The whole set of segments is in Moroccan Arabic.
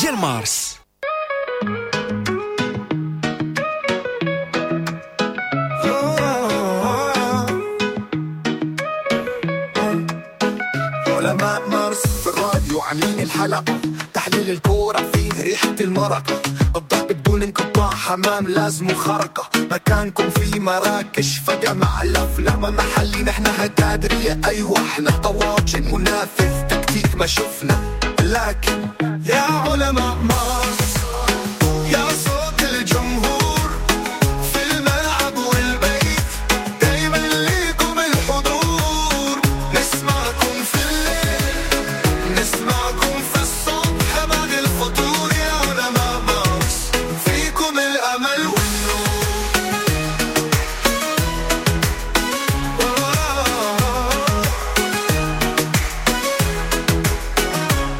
ديال مارس. علماء مارس في الراديو عاملين الحلقة، تحليل الكورة فيه ريحة المرقة، الضحك بدون انقطاع، حمام لازم خرقة، مكانكم في مراكش فجمع الأفلام محلي، نحن هكادرية أيوة احنا طواجن منافذ تكتيك ما شفنا، لكن يا علماء مارس يا صوت الجمهور في الملعب والبيت، دايما ليكم الحضور، نسمعكم في الليل نسمعكم في الصبح بعد الفطور، يا علماء مارس فيكم الأمل والنور.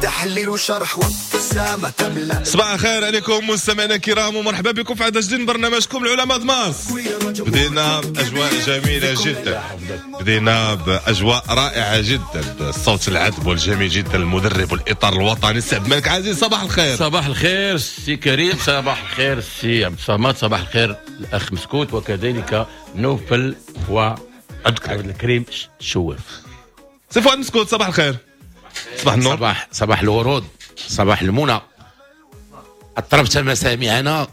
تحليل وشرح وابتسامة تملأ. صباح الخير عليكم مستمعينا الكرام، ومرحبا بكم في عدد جديد من برنامجكم العلماء مارس. بدينا بأجواء جميلة جدا، بدينا بأجواء رائعة جدا، الصوت العذب والجميل جدا، المدرب والإطار الوطني السي عبد الملك عزيز. صباح الخير. صباح الخير سي كريم، صباح الخير سي عبد الصمد، صباح الخير الأخ مسكوت، وكذلك نوفل وعبد الكريم شواف. سي فؤاد مسكوت صباح الخير. صباح النور. صباح الورود، صباح المنى. اطربت مسامعنا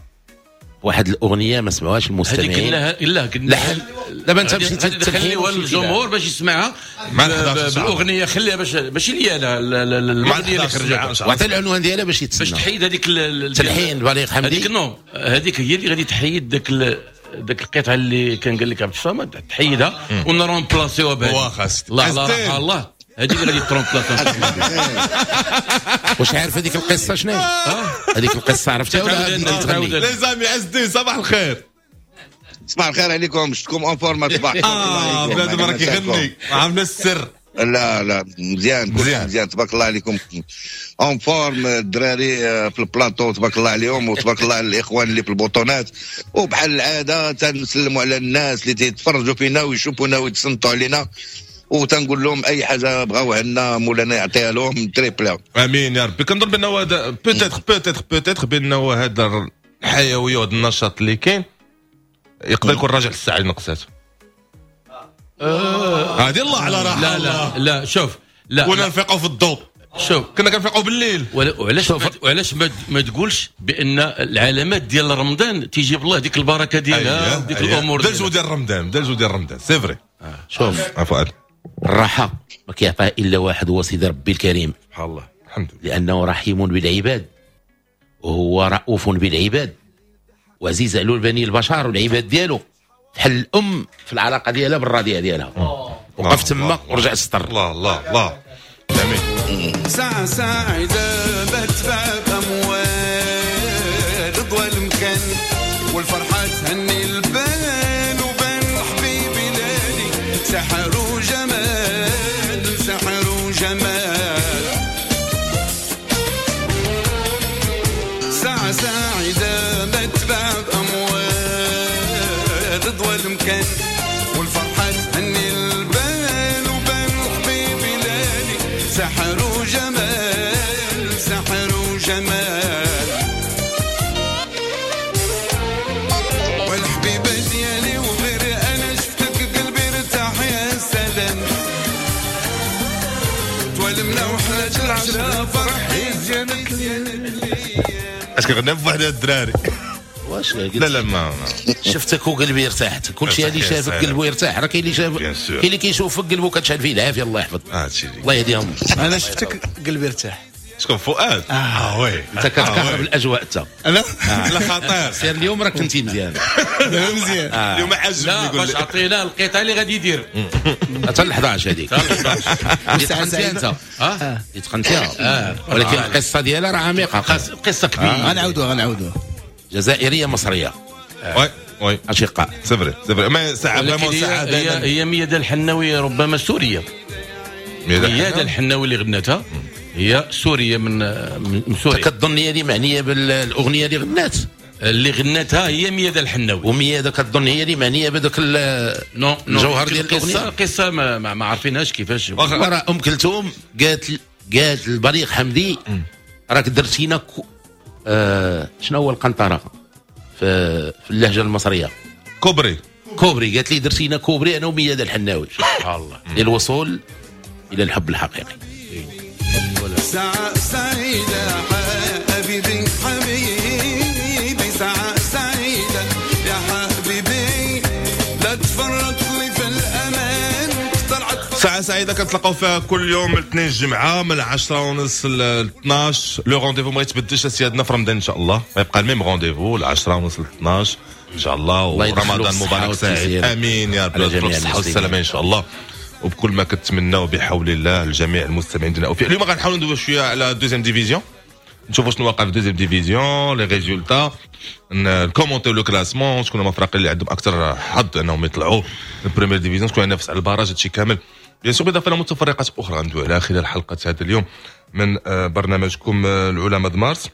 واحد الاغنية ما سمعوهاش المستمعين. هذيك لا لا دابا انت مشيتي تخليوها للجمهور باش يسمعها بالاغنيه، خليها باش ليا انا الاغنية اللي خرجت، وعطي العنوان ديالها باش يتسنى، باش تحيد هذيك التلحين بليغ حمدي. هذيك non، هذيك هي اللي غادي تحيد داك القطعة اللي كان قال لك عبد الصمد، تحيدها ونرومبلاسيوها بهذه. واخا الله الله الله، هذه اللي غادي ترومبلاس. واش عارف هذيك القصة شنو؟ هذيك القصة عرفتها ولا تغني؟ les amis عز صباح الخير. صباح الخير عليكم، شفتكم en forme صباح. بنادم راه كيغني، عامل السر. لا لا مزيان مزيان تبارك الله عليكم، en forme الدراري في البلاطو تبارك الله عليهم، وتبارك الله على الاخوان اللي في البطونات، وبحال العادة تنسلموا على الناس اللي تيتفرجوا فينا ويشوفونا ويتصنتوا علينا، وتنقول لهم اي حاجة بغاوها لنا مولانا يعطيها لهم triple. امين يا ربي. كنظن بانه هذا peut-être peut-être peut-être بانه هذا الحيوية وهذا النشاط اللي كاين يقدر يكون راجع للساعة اللي نقصات. هذه الله على راحة. لا لا لا شوف، لا كنا نفيقوا في الضوء، شوف كنا كنفيقوا بالليل. وعلاش ما تقولش بان العلامات ديال رمضان تيجيب الله ديك البركة ديالها وديك الامور ديالها. دازو ديال رمضان، دازو ديال رمضان c'est vrai. شوف فؤاد، الراحة ما كيعطيها الا واحد، هو سيدي ربي الكريم. سبحان الله، الحمد لله، لانه رحيم بالعباد وهو رؤوف بالعباد وعزيز على بني البشر والعباد ديالو، بحال الام في العلاقة ديالها بالرضيع ديالها. وقف تما ورجع السطر. الله الله الله جميل. ساعة سعيدة بدفع بأموال ضوى المكان، والفرحة تهني البال وبان حبيبي لالي، سحر وجمال سحر وجمال. ساعة سعيدة بدفع بأموال ضوى المكان، والفرحة تهني البال وبان حبيبي لالي، سحر وجمال سحر وجمال. والحبيبة ديالي وغير أنا شفتك قلبي ارتاح يا سلام، توالمنا وحنا العشرة فرحي زينت ليا. اش كنغني بواحد الدراري؟ واش لا لا ما شفتك وقلبي ارتاحت. كلشي اللي شافك قلبه يرتاح، راه كاين اللي شاف، كاين اللي كيشوفك قلبه كتشعل فيه العافية. الله يحفظ، الله يهديهم. انا شفتك قلبي ارتاح. شكون فؤاد؟ oui انت كتكهرب الاجواء انت. انا لا خطير. سير اليوم راك كنتي مزيان. مزيان اليوم عجبني. لا باش عطينا القطعة اللي غادي يدير حتى ل 11 هذيك. اللي تقنتيها انت، اللي تقنتيها، ولكن القصة ديالها راه عميقة، قصة كبيرة. غنعاودوها جزائرية مصرية. oui oui اشقاء. c'est vrai c'est vrai. mais ساعة vraiment ساعة هي ميادة الحناوي، ربما سورية. ميادة الحناوي اللي غنتها هي سورية من سوريا. كتظن هي اللي معنية بالاغنيه اللي غنات؟ اللي غنتها هي ميادة الحناوي، وميادة كتظن هي اللي معنية بهذاك الجوهر ديال الاغنية. القصة ما عارفينهاش كيفاش. راه ام كلثوم قالت البليغ حمدي راك درتينا شنو هو القنطرة في اللهجة المصرية؟ كوبري. كوبري. قالت لي درتينا كوبري انا وميادة الحناوي. سبحان الله. للوصول الى الحب الحقيقي. ساعة سعيدة حبيبي حبيبي، ساعة سعيدة يا حبيبي، لا تفرط لي في الأمان. ساعة سعيدة كنتلاقاو فيها كل يوم الاثنين الجمعة من 10:30 ل 12. le rendez-vous ما يتبدلش سيادنا في رمضان ان شاء الله، غيبقى ال même rendez-vous 10:30 ل 12 ان شاء الله. ورمضان مبارك سعيد، امين يا رب، بالصحة والسلامة ان شاء الله، وبكل ما كتمناو بحول الله لجميع المستمعين ديالنا. اليوم غنحاولوا ندويو شوية على deuxième division، نشوفوا شنو واقع في deuxième division، les résultats، نكومونتيو le classement، شكون هما الفرق اللي عندهم اكثر حظ انهم يطلعوا ال première division، شكون ينافس على ال barrage، هادشي كامل bien sûr. بالاضافة الى متفرقات اخرى غندويو عليها خلال حلقة هذا اليوم من برنامجكم العلماء د مارس.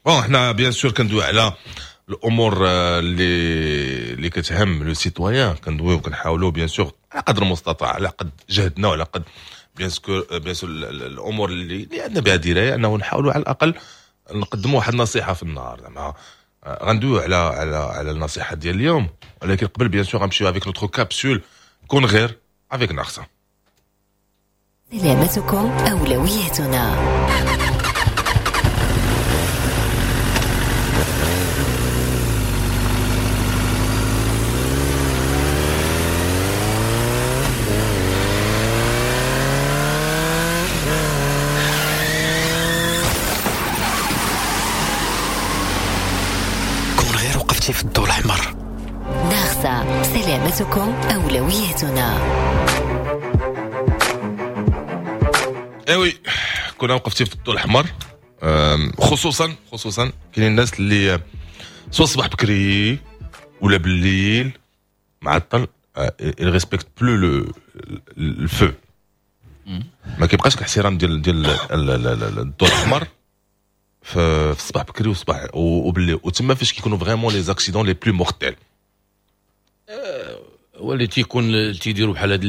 bon حنا bien sûr كندويو على الامور اللي كتهم le citoyen، كندويو وكنحاولوا bien sûr على قدر المستطاع، على قد جهدنا وعلى قد bien sûr الامور اللي عندنا بها دراية، انه نحاولوا على الاقل نقدموا واحد النصيحة في النهار. زعما غندويو على على على النصيحة ديال اليوم، ولكن قبل bien sûr غنمشيو avec notre capsule كون غير avec ناقصه. سلامتكم اولويتنا. كون غير وقفتي في الضوء الاحمر. ناقصة، سلامتكم أولويتنا. eh oui، كنا وقفتي في الضوء الاحمر، خصوصا خصوصا كاينين الناس اللي سوا الصباح بكري ولا بالليل معطل، il respecte plus le feu، ما كيبقاش الاحترام ديال الضوء الاحمر في الصباح بكري والصباح وبالليل، وتما فاش كيكونوا vraiment les accidents les plus mortels. هو اللي تيكون تيديروا بحال هاد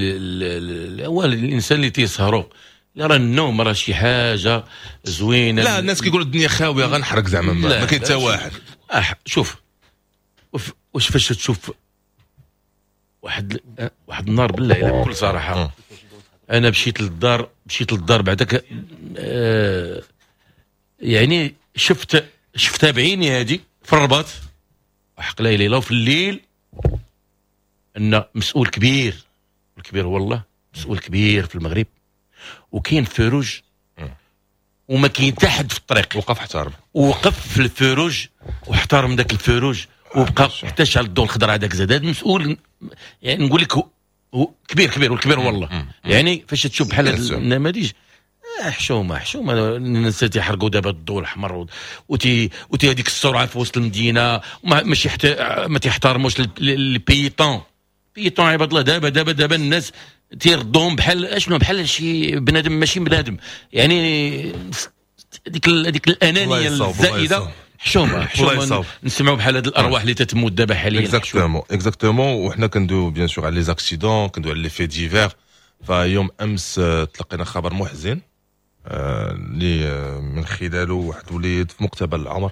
هو الانسان اللي تيسهروا، لا راه النوم راه شي حاجة زوينة. لا الناس كيقولوا الدنيا خاوية غنحرق زعما، ما كاين حتى واحد. شوف واش فاش تشوف واحد النهار بالله الا بكل صراحة، انا مشيت للدار بعدك، يعني شفتها بعيني هذه في الرباط وحق لا اله الا وفي الليل، ان مسؤول كبير، الكبير والله مسؤول كبير في المغرب، وكاين feu rouge وما كاين حتى حد في الطريق، وقف احترم، وقف في ال feu rouge واحترم ذاك ال feu rouge وبقى حتى شعل الضوء الخضر هذاك زاد. هذا المسؤول يعني نقول لك هو كبير كبير والكبير والله. يعني فاش تشوف بحال هاد النماذج حشومه حشومه، الناس تيحرقوا دابا الضوء الاحمر وتي هذيك السرعة في وسط المدينة، ماشي حتى ما تيحترموش les piétons piétons عباد الله. دابا دابا دابا الناس تيردوهم بحال اشنو، بحال شي بنادم ماشي بنادم، يعني هذيك الانانية الزائدة. حشومه حشومه نسمعوا بحال هاد الارواح اللي تتموت دابا حاليا. exactement exactement. وحنا كندويو bien sûr على les accidents، كندويو على les faits divers. فيوم امس تلقينا خبر محزن اللي من خلاله واحد وليد في مقتبل العمر،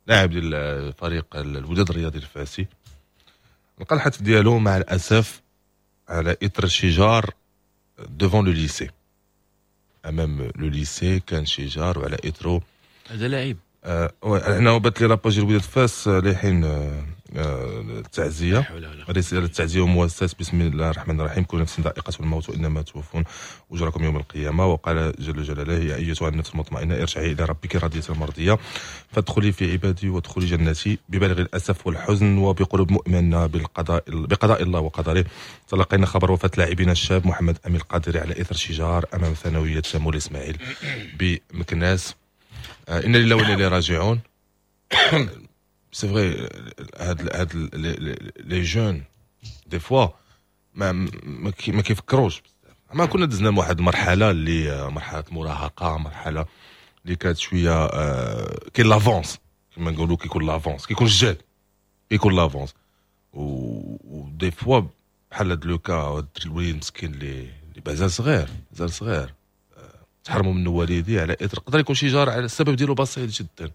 لاعب ديال فريق الوداد الرياضي الفاسي، لقى الحتف ديالو مع الاسف على اثر شجار devant le lycée، امام le lycée كان شجار وعلى اثره هذا لاعب. انا بات لي la page الوداد فاس لحين التعزيه، رسالة التعزيه ومؤسسة. بسم الله الرحمن الرحيم، كل نفس ذائقة الموت وانما توفون اجركم يوم القيامة. وقال جل جلاله: يا ايتها النفس المطمئنة ارجعي الى ربك راضية مرضية فادخلي في عبادي وادخلي جنتي. ببالغ الاسف والحزن وبقلوب مؤمنة بقضاء الله وقدره، تلقينا خبر وفاه لاعبنا الشاب محمد امين القادري على اثر شجار امام ثانوية سمول اسماعيل بمكناس. إنا لله وإنا إليه راجعون. c'est vrai هاد les jeunes des fois ما كيفكروش بزاف. ما كنا دزنا واحد المرحلة اللي مرحلة مراهقة، مرحلة اللي كانت شوية كاين l'avance كما نقولوا، كيكون l'avance، كيكون الجهد، كيكون l'avance. و des fois بحال هاد le cas، الوليد مسكين اللي مازال صغير، مازال صغير، تحرموا منه والديه على اثر يقدر يكون شي جار على السبب ديالو بسيط جدا.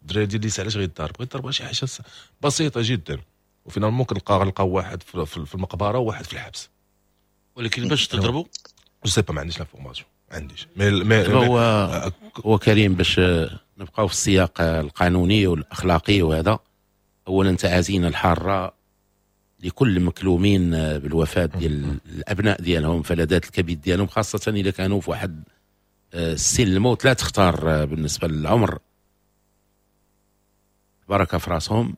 الدراري ديال ال lycée علاش غيضارب؟ غيضارب شي حاجة بسيطة جدا، و finalement كنلقاو واحد في المقبرة وواحد في الحبس. ولكن باش تضربوا je sais pas، ما عنديش l'information، ما عنديش mais هو كريم، باش نبقاو في السياق القانوني والاخلاقي وهذا، اولا تعازينا الحارة لكل المكلومين بالوفاة ديال الابناء ديالهم، فلذات الكبد ديالهم، خاصة اذا كانوا في واحد السن الموت لا تختار بالنسبة للعمر، بركة في راسهم.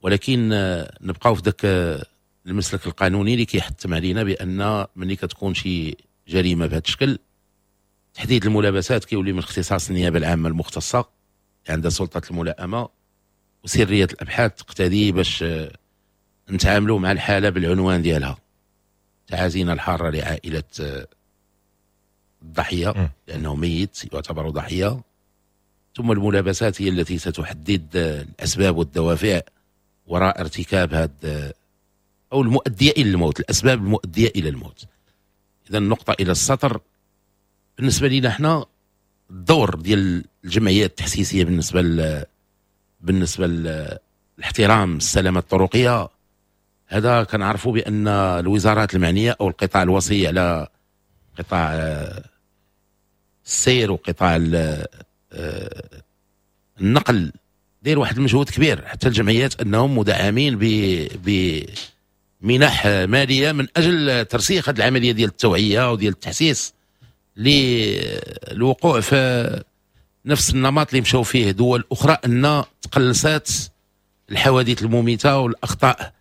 ولكن نبقاو في ذاك المسلك القانوني اللي كيحتم علينا بان ملي كتكون شي جريمة بهذا الشكل، تحديد الملابسات كيولي من اختصاص النيابة العامة المختصة اللي عندها سلطة الملائمه، وسريه الابحاث تقتضي باش نتعاملوا مع الحالة بالعنوان ديالها. تعازينا الحارة لعائلة الضحية لانه ميت يعتبر ضحيه، ثم الملابسات هي التي ستحدد الاسباب والدوافع وراء ارتكاب هذا او المؤدية الى الموت، الاسباب المؤدية الى الموت. اذا النقطة الى السطر. بالنسبة لنا احنا الدور ديال الجمعيات التحسيسيه بالنسبة لاحترام السلامة الطرقيه، هذا كنعرفوا بان الوزارات المعنية او القطاع الوصي على قطاع السير وقطاع النقل داير واحد المجهود كبير، حتى الجمعيات انهم مدعمين بمنح ماليه من اجل ترسيخ هذه العملية ديال التوعية وديال التحسيس للوقوع في نفس النمط اللي مشاو فيه دول اخرى، ان تقلصات الحوادث المميته والاخطاء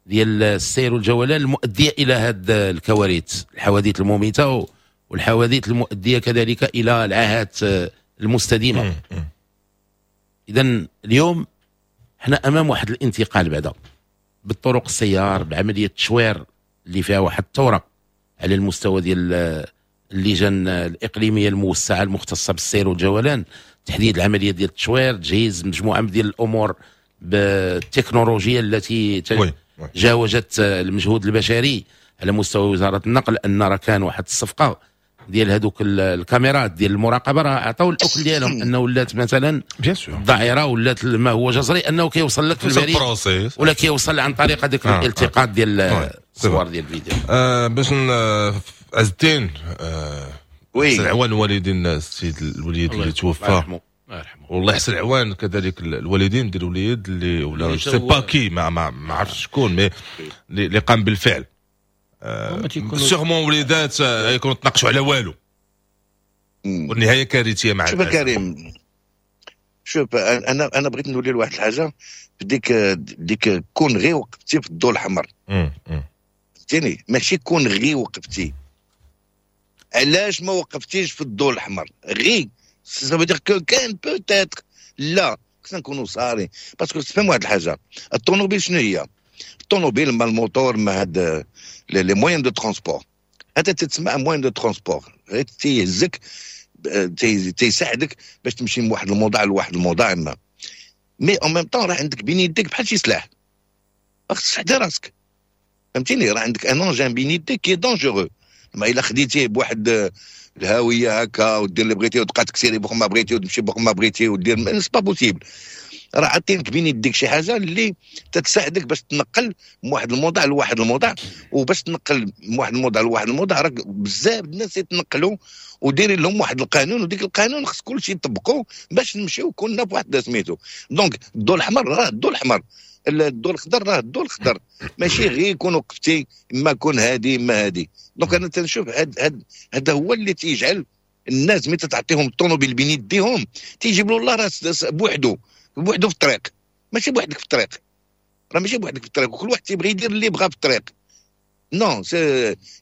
ديال السير والجولان المؤدية الى هذه الكوارث، الحوادث المميته والحوادث المؤدية كذلك الى العاهات المستديمه. اذا اليوم احنا امام واحد الانتقال بعدا بالطرق السيار، بعملية التشوير اللي فيها واحد الثورة على المستوى ديال اللجان الاقليمية الموسعه المختصة بالسير والجولان، تحديد العملية ديال التشوير، تجهيز مجموعة ديال الامور بالتكنولوجيا التي جاوزت المجهود البشري على مستوى وزارة النقل. ان راه كان واحد الصفقة ديال هذوك الكاميرات ديال المراقبه، راه عطاو الاكل ديالهم انه ولات مثلا الذعيره ولات ما هو جزري انه كيوصل لك في البريد ولا كيوصل عن طريق هذاك الالتقاط ديال الصور ديال الفيديو. باش عز الدين، oui، العوان الوالدين السيد الوليد اللي توفى، الله يرحمه، والله يحسن العوان كذلك الوالدين ديال الوليد اللي ولا sais pas qui، ما عرفتش شكون، mais اللي قام بالفعل. sûrement وليدات يكونوا تناقشوا على والو والنهاية كارثية مع شوف كريم، شوف، انا بغيت نولي لواحد الحاجة في ديك كون غير وقفتي في الضوء الاحمر، فهمتيني؟ ماشي كون غير وقفتي، علاش ما وقفتيش في الضوء الاحمر؟ غير ça veut dire que كان peut-être. لا، خصنا نكونوا صارين parce que تفهم واحد الحاجه، الطوموبيل شنو هي؟ الطوموبيل ما الموتور ما هاد les moyens de transport، هذا تتسمى moyen de transport، غير تيهزك، تيساعدك باش تمشي من واحد الموضع لواحد الموضع ما، mais en même temps راه عندك بين يديك بحال شي سلاح، خصك تحضي راسك، فهمتيني؟ راه عندك un engin بين يديك qui est dangereux. ما الا خديتيه بواحد الهاوية هكا ودير اللي بغيتي وتبقى تكسيري بوق ما بغيتي وتمشي بوق ما بغيتي ودير، c'est pas possible. راه عطينك بين يديك شي حاجة اللي تتساعدك باش تنقل من واحد الموضع لواحد الموضع، وباش تنقل من واحد الموضع لواحد الموضع راه بزاف الناس يتنقلوا، وديرين لهم واحد القانون، وديك القانون خص كلشي يطبقوا باش نمشيو كلنا في واحد سميتو. donc الضوء الاحمر راه الضوء الاحمر، الضوء الخضر راه الضوء الخضر، ماشي غير يكون وقفتي ما كون هادي ما هادي. donc انا تنشوف هاد هذا هو اللي تيجعل الناس ملي تعطيهم الطوموبيل بين يديهم تيجيب له الله راس بوحدو بوحدو في الطريق، ماشي بوحدك في الطريق، راه ماشي بوحدك في الطريق، وكل واحد تيبغي يدير اللي بغا في الطريق. non،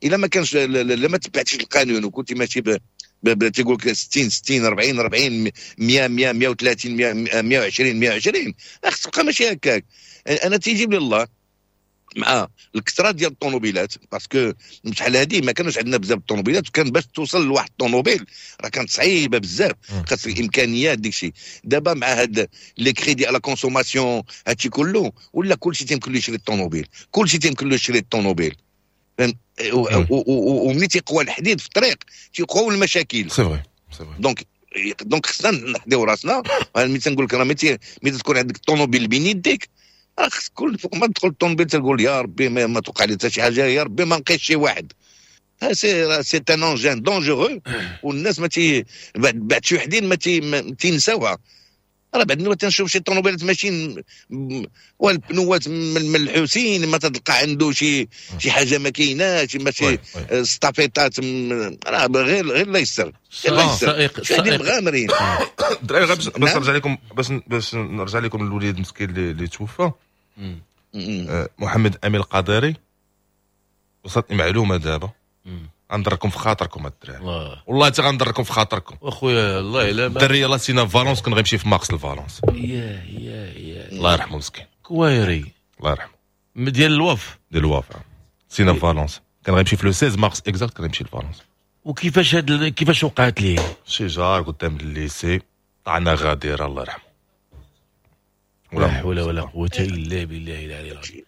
الا ما كانش، الا ما تبعتش القانون وكنت ماشي تيقول لك 60 60، 40 40، 100 100، 130 100، 120 120، خصك تبقى ماشي هكاك. انا تيجيب لي الله مع الكثرة ديال الطوموبيلات، parce que شحال هادي ما كانوش عندنا بزاف الطوموبيلات، وكان باش توصل لواحد الطوموبيل راه كانت صعيبة بزاف، خاص الامكانيات ديك الشيء. دابا مع هاد les crédits à la consommation، هادشي كله ولا كلشي تيمكن له يشري الطوموبيل، كلشي تيمكن له يشري الطوموبيل. وملي تيقوى الحديد في الطريق تيقواو المشاكل. c'est vrai، c'est vrai. donc خصنا نحضيو راسنا. ملي تنقول لك راه ملي تكون عندك الطوموبيل بين يديك، راه خص كل فوق ما تدخل الطوموبيل تقول يا ربي ما توقع لي حتى شي حاجة، يا ربي ما نقيش شي واحد. c'est un engin dangereux، والناس ما تي بعد شي وحدين ما تينساوها. راه بعد ما تنشوف شي طوموبيلات ماشيين والبنوات من الحسين ما تلقى عنده شي حاجة ما كايناش، ماشي ستافيطات، راه غير الله يستر. السائق مغامرين الدراري. غير باش نرجع لكم، باش نرجع لكم الوليد المسكين اللي توفى، محمد امين القادري، وصلتني معلومة دابا غندركم في خاطركم الدراري، والله حتى غندركم في خاطركم اخويا. الله الا الدري يلاه سينا فالونس، كان غيمشي في مارس لفالونس. يا يا يا الله يرحمه مسكين، كوايري الله يرحمه، ديال الوف، ديال الوف سينا فالونس، كان غيمشي في le 16 mars exact، كان غيمشي لفالونس. وكيفاش هاد كيفاش وقعت ليه؟ شي جار قدام ال lycée طعنا غاديره الله يرحمه. لا حول ولا قوة الا بالله العلي العظيم.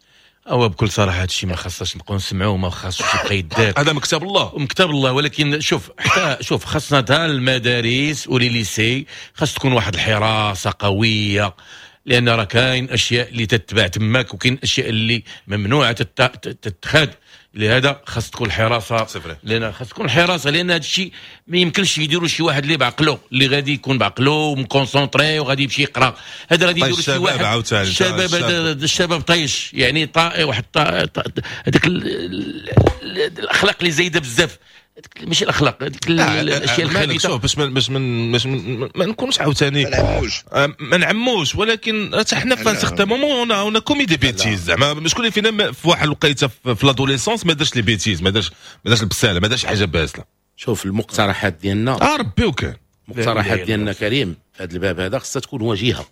هو بكل صراحة هادشي ما خصناش نبقاو نسمعوه، ما خاصوش يبقى يدار، هذا مكتاب الله، مكتاب الله. ولكن شوف، حتى شوف، خاصنا تا المدارس و les lycées خاص تكون واحد الحراسة قوية، لان راه كاين اشياء اللي تتباع تماك وكاين اشياء اللي ممنوعة تتخاد. لهذا خاص تكون الحراسة، لان خاص تكون الحراسة، لان هذا الشيء ما يمكنش يديروا شي واحد اللي بعقله، اللي غادي يكون بعقله وم concentré وغادي يمشي يقرا. هذا غادي يديروا شي واحد الشباب، الشباب طيش يعني، واحد هذيك الاخلاق اللي زايدة بزاف، ماشي الاخلاق، هذيك الاشياء الخبيثة. شوف باش ما نكونوش عاوتاني ما نعموش، ولكن حتى حنا في certain moment on a commis des bêtises. زعما شكون اللي فينا في واحد الوقيته في l'adolescence ما دارش les bêtises، ما دارش البساله، ما دارش حاجة باسله. شوف المقترحات ديالنا، ربي وكان المقترحات ديالنا كريم في هذا الباب هذا خصها تكون وجيهة.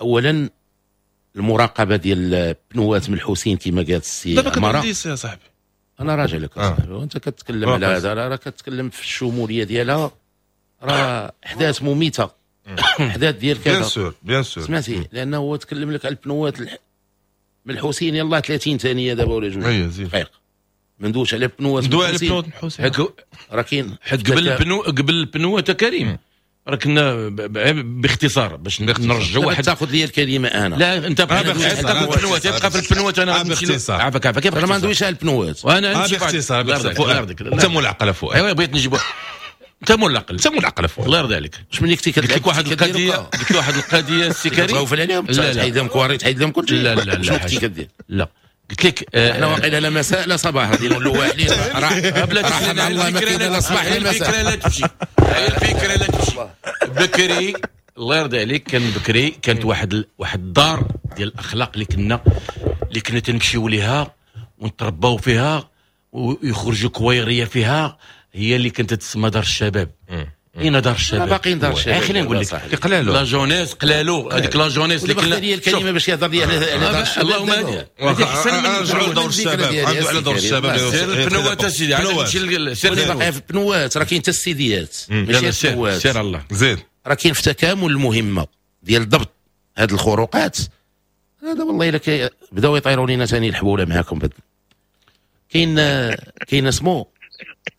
اولا المراقبة ديال بنوات من الحسين كما قالت السي عمارة. يا صاحبي انا راجع لك اصاحبي، وانت كتكلم على هذا، راه كتكلم في الشمولية ديالها، راه احداث مميته، احداث ديال كذا. bien sûr bien sûr، سمعتي، لانه هو تكلم لك على البنوات من الحسين يلاه 30 ثانية دابا ولا جوج دقائق، ما ندوش على بنوات من الحسين. راه كاين حيت قبل البنوات كريم راه كنا باختصار باش نرجعوا واحد. تاخذ لي الكلمة انا. لا انت بقى في البنوات، تبقى في البنوات. انا باختصار عافاك عافاك، انا ما ندويش على البنوات، وانا باختصار باختصار. انت مول العقل فؤاد. ايوا بغيت نجيب انت مول العقل، انت مول العقل فؤاد، الله يرضي عليك. واش ملي كنتي قلت لك واحد القضية، قلت واحد القضية السي كريم، تخوف عليهم، تحيد لهم كواري، تحيد لهم كلشي. لا لا لا، شنو كنتي كدير؟ لا قلت لك احنا واقيلا لا مساء لا صباح، غادي نولوا واحلين. راه مع الله ما كاين لا صباح لا مساء. الفكرة لا تمشي، الفكرة لا تمشي. بكري الله يرضي عليك، كان بكري كانت واحد الدار ديال الاخلاق اللي كنا تنمشيو ليها ونترباو فيها ويخرجوا كويريه فيها، هي اللي كانت تسمى دار الشباب. اين دار الشباب؟ باقيين دار الشباب. خلينا نقول لك قلالو la jeunesse، قلالو هذيك la jeunesse اللي كنا. لي الكلمة باش يهضر لي على دار الشباب. اللهم هذه احسن من نرجعوا لدور الشباب، على دور الشباب. سير البنوات اسيدي، عاد سير باقي في البنوات، راه كاين حتى السيديات ماشي البنوات. سير الله زيد، راه كاين في تكامل المهمة ديال ضبط هاد الخروقات. هذا والله الا بداو يطيروا لينا ثاني الحبوله معاكم. كاين اسمو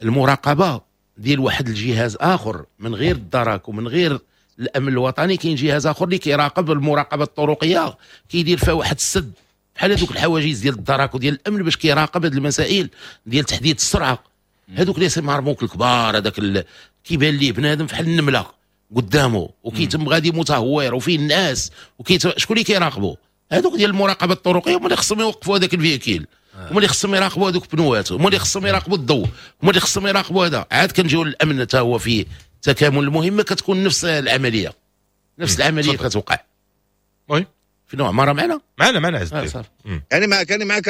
المراقبة ديال واحد الجهاز اخر من غير الدرك ومن غير الامن الوطني. كاين جهاز اخر اللي كيراقب المراقبة الطرقيه، كيدير فيها واحد السد بحال هذوك الحواجز ديال الدرك وديال الامن باش كيراقب هذه المسائل ديال تحديد السرعة. هذوك اللي semi-remorque الكبار، هذاك كيبان ليه بنادم بحال النملة قدامه وكيتم غادي متهور وفيه الناس شكون اللي كيراقبوا؟ هذوك ديال المراقبة الطرقيه هما اللي خصهم يوقفوا هذاك ال véhicule، هما اللي خصهم يراقبوا هذوك بنوات، هما اللي خصهم يراقبوا الضوء، هما اللي خصهم يراقبوا هذا. عاد كنجيو للامن حتى هو في تكامل المهمة، كتكون نفس العملية، نفس العملية كتوقع. oui في نوع ما راه معنا معنا عز الدين. انا معك، انا معك.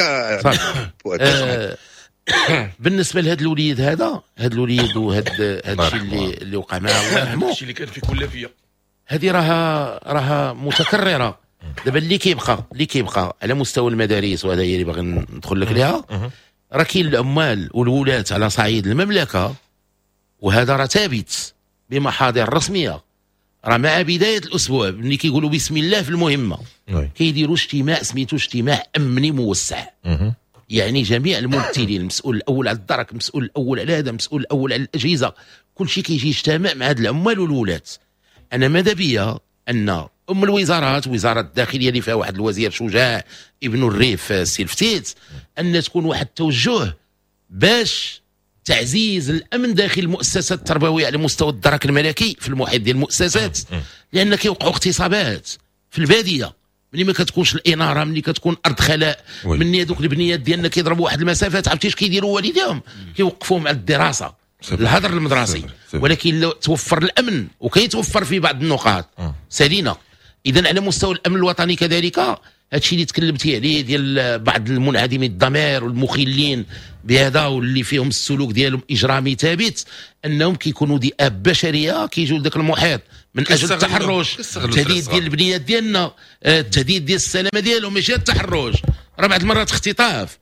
بالنسبة لهذا الوليد، هذا الوليد وهذا الشيء اللي وقع معاه الله يرحمه، الشيء اللي كان في كل فيا، هذه راها متكررة. دابا اللي كيبقى على مستوى المدارس، وهذا هي اللي باغي ندخل لك ليها، راه كاين العمال والولاة على صعيد المملكة، وهذا راه ثابت بمحاضر رسمية. راه مع بداية الاسبوع ملي كيقولوا بسم الله في المهمة كيديروا اجتماع سميتو اجتماع امني موسع. يعني جميع الممثلين، المسؤول الاول على الدرك، المسؤول الاول على هذا، المسؤول الاول على الاجهزة، كل شيء كيجي يجتمع مع هاد العمال والولاة. انا ماذا بيا ان الوزارات، وزارة الداخلية اللي فيها واحد الوزير شجاع ابن الريف السي الفتيت، ان تكون واحد التوجه باش تعزيز الامن داخل المؤسسات التربوية على مستوى الدرك الملكي في المحيط ديال المؤسسات، لان كيوقعوا اغتصابات في البادية ملي ما كتكونش الاناره، ملي كتكون ارض خلاء، ملي هذوك البنيات ديالنا كيضربوا واحد المسافات، عرفتي اش كيديروا والديهم؟ كيوقفوهم على الدراسة، الهدر المدرسي. ولكن لو توفر الامن، وكيتوفر في بعض النقاط سالينا. اذا على مستوى الامن الوطني كذلك هادشي اللي تكلمتي عليه ديال بعض المنعدمين الضمير والمخلين بهذا واللي فيهم السلوك ديالهم اجرامي ثابت، انهم كيكونوا ذئاب بشرية كيجوا لذاك المحيط من اجل التحرش، التهديد ديال البنيات ديالنا، التهديد ديال السلامة ديالهم، ماشي التحرش، راه بعض المرات اختطاف.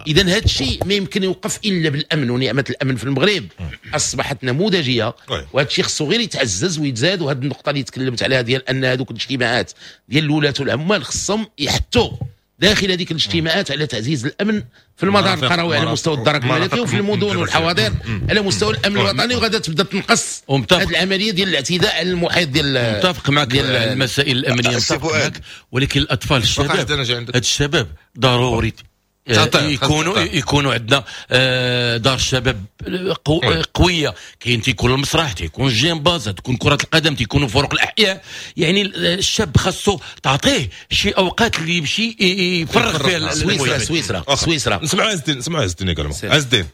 اذا هذا الشيء ما يمكن يوقف الا بالامن، ونعمه الامن في المغرب اصبحت نموذجيه، وهذا الشيء خصو غير يتعزز ويتزاد. وهذه النقطة اللي تكلمت عليها ديال ان هذوك الاجتماعات ديال الولاة والعمال خصهم يحثوا داخل هذيك الاجتماعات على تعزيز الامن في المدار القروي على مستوى الدرك الملكي وفي المدن والحواضر على مستوى الامن الوطني، وغادا تبدا تنقص هذه العملية ديال الاعتداء على المحيط ديال. متفق معك ديال المسائل الامنية، متفق معك، ولكن الاطفال الشباب، هاد الشباب ضروري يكونوا عندنا دار الشباب قوية، كاين تيكون المسرح، تيكون الجيمباز، تكون كره القدم، تيكونوا فرق الاحياء. يعني الشاب خاصو تعطيه شي اوقات اللي يمشي يفرغ فيها. سويسرا سويسرا نسمعوا عز الدين، نسمعوا عز الدين également. عز الدين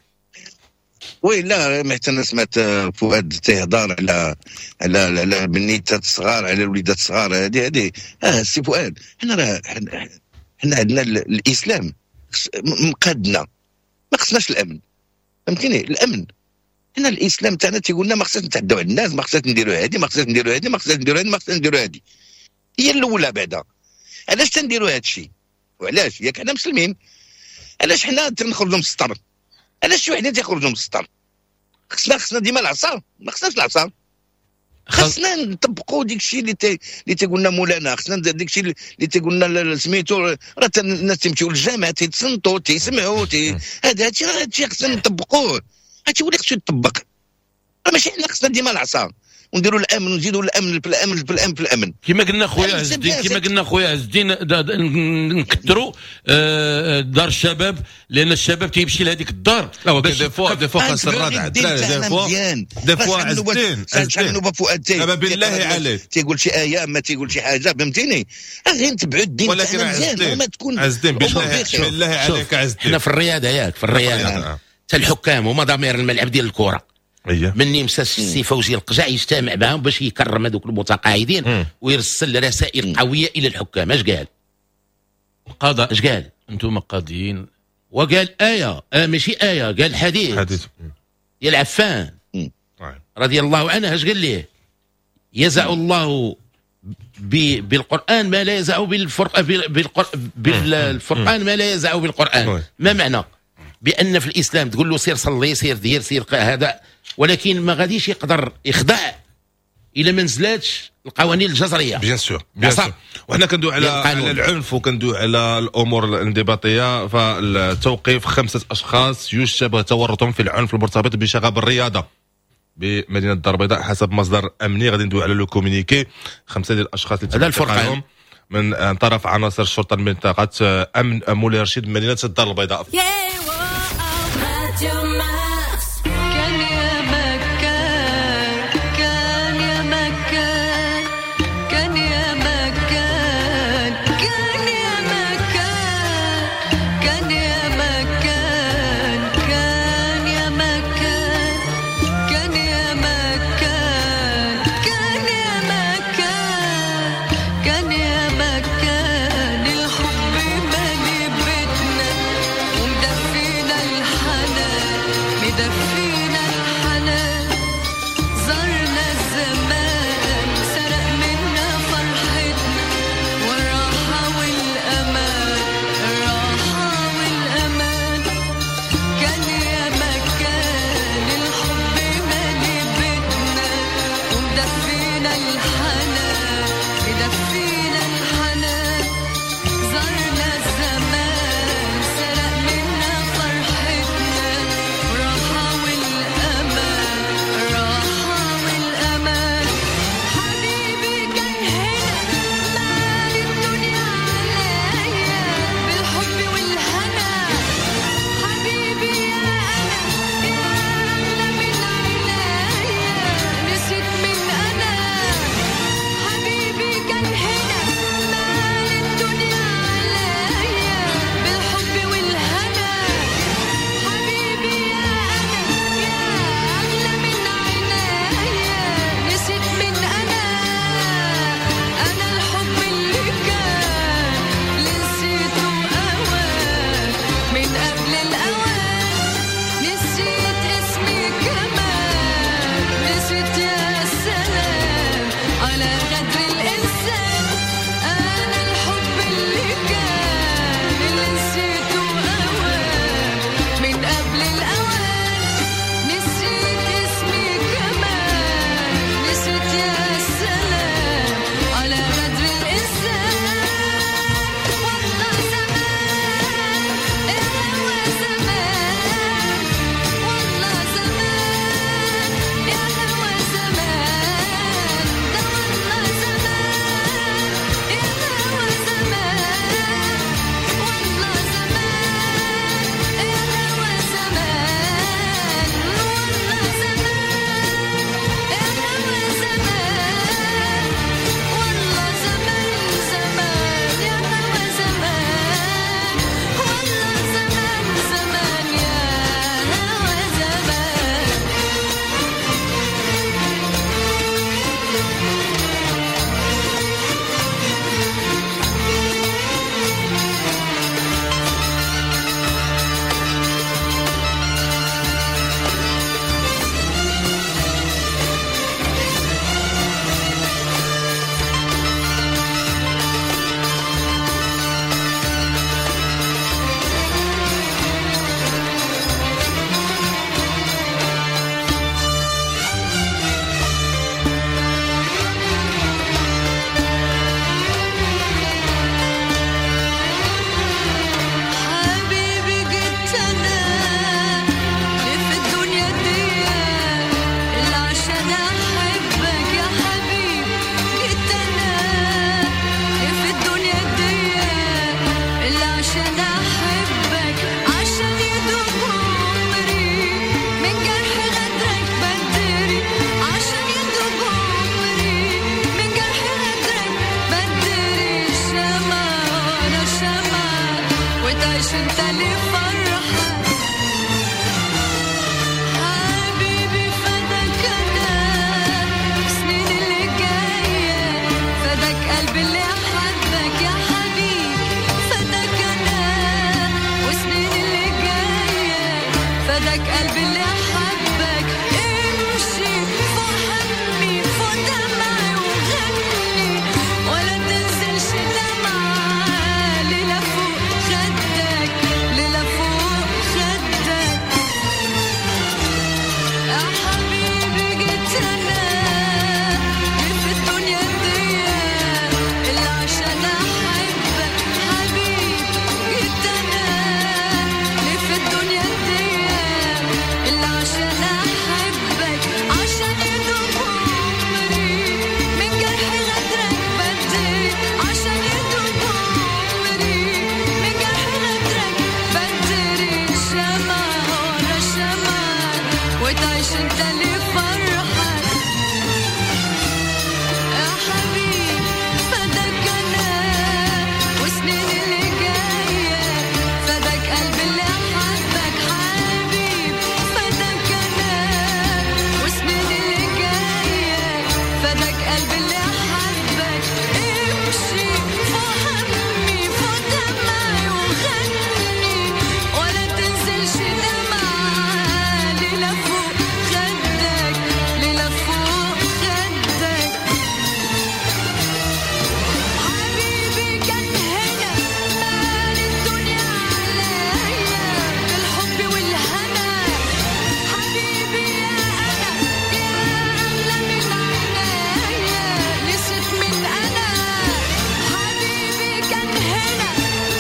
oui، لا حتى انا سمعت فؤاد تيهضر على على على البنيتات الصغار، على الوليدات الصغار. هذه سي فؤاد، حنا راه حنا عندنا الاسلام مقادنا، ما خصناش الامن، فهمتيني؟ الامن حنا الاسلام تاعنا تيقول لنا ما خصناش نتعداو على الناس، ما خصناش نديروا هذه، ما خصناش نديروا هذه، ما خصناش نديروا هذه، ما خصناش نديروا هذه. هي الاولى بعدا. علاش تنديروا هذا الشيء؟ وعلاش؟ ياك حنا مسلمين، علاش حنا تنخرجوا من السطر؟ علاش شي وحدين تيخرجوا من السطر؟ خصنا ديما العصا، ما خصناش العصا، خصنا نطبقوا ديك الشيء اللي تيقول لنا مولانا، خصنا ديك الشيء اللي تيقول لنا سميتو. راه الناس تيمشيو للجامع تيتصنتوا تيسمعوا هذا هادشي خصنا نطبقوه، هادشي هو اللي خصو يطبق. راه ماشي حنا خصنا ديما العصا ونديروا الامن ونزيدوا الامن في الامن في الامن في الامن. كما قلنا خويا عز الدين، كما قلنا خويا عز الدين، نكثروا دار الشباب، لان الشباب تيمشي لهذيك الدار. لا des fois des fois خاص الردع، des fois des fois عز الدين شحال نوبه فؤاد بالله عليك تيقول شي ايه ما تيقول شي حاجة، فهمتيني؟ غير نتبعوا الدين تاعنا مزيان، وما تكون عز الدين بالله عليك عز الدين. حنا في الرياضة، ياك في الرياضة حتى الحكام هما ضمير الملعب ديال الكره. مني مشى السي فوزي القجع يجتمع معهم باش يكرم هذوك المتقاعدين ويرسل رسائل قوية الى الحكام. اش قال؟ قضاء. اش قال؟ انتم قاضيين. وقال ايه ماشي ايه، قال حديث ديال عفان رضي الله عنه. اش قال ليه؟ يزع الله بالقران ما لا يزع بالفرقان ما لا يزع بالقران. ما معنى؟ بان في الاسلام تقول له سير صلي، سير دير، سير هذا، ولكن ما غاديش يقدر يخضع الى ما نزلاتش القوانين الجزريه. bien sûr bien sûr. وحنا كندوي على العنف وكندوي على الامور الانضباطيه. فالتوقيف 5 اشخاص يشتبه تورطهم في العنف المرتبط بشغب الرياضة بمدينة الدار البيضاء حسب مصدر امني. غادي ندوي على le communiqué. 5 ديال الاشخاص اللي تم اعتقالهم من طرف عناصر الشرطة المنطقة امن مولاي رشيد مدينة الدار البيضاء. الحنان انت لفرحك. حبيبي فداك انا سنين اللي جاية، فداك قلبي اللي حبك يا حبيبي، فداك انا وسنين اللي جاية، فداك قلبي اللي حبك. امشي فوق همي فوق دمعي وغني، ولا تنزلش دمعة ليلة فوق خدك، ليلة فوق خدك. يا حبيبي جيت انا في الدنيا دي اللي عشان احبك، حبيبي جيت انا في الدنيا دي اللي عشان احبك، عشان يدوب عمري من جرح غدرك بدري، عشان يدوب عمري من جرح غدرك بدري. شمعة ورا شمعة وتعيش انت لفرحك. يا حبيبي فداك انا وسنين اللي جاية، فداك قلبي اللي حبك، حبيبي فداك انا وسنين اللي جاية، فداك قلبي اللي حبك. امشي فوق همي فوق دمعي وغني، ولا تنزلش دمعة ليلة فوق خدك، ليلة فوق خدك. حبيبي كان هنا مال الدنيا عليا بالحب والهنا، حبيبي يا انا يا اغلى من عينيا نسيت من انا. حبيبي كان هنا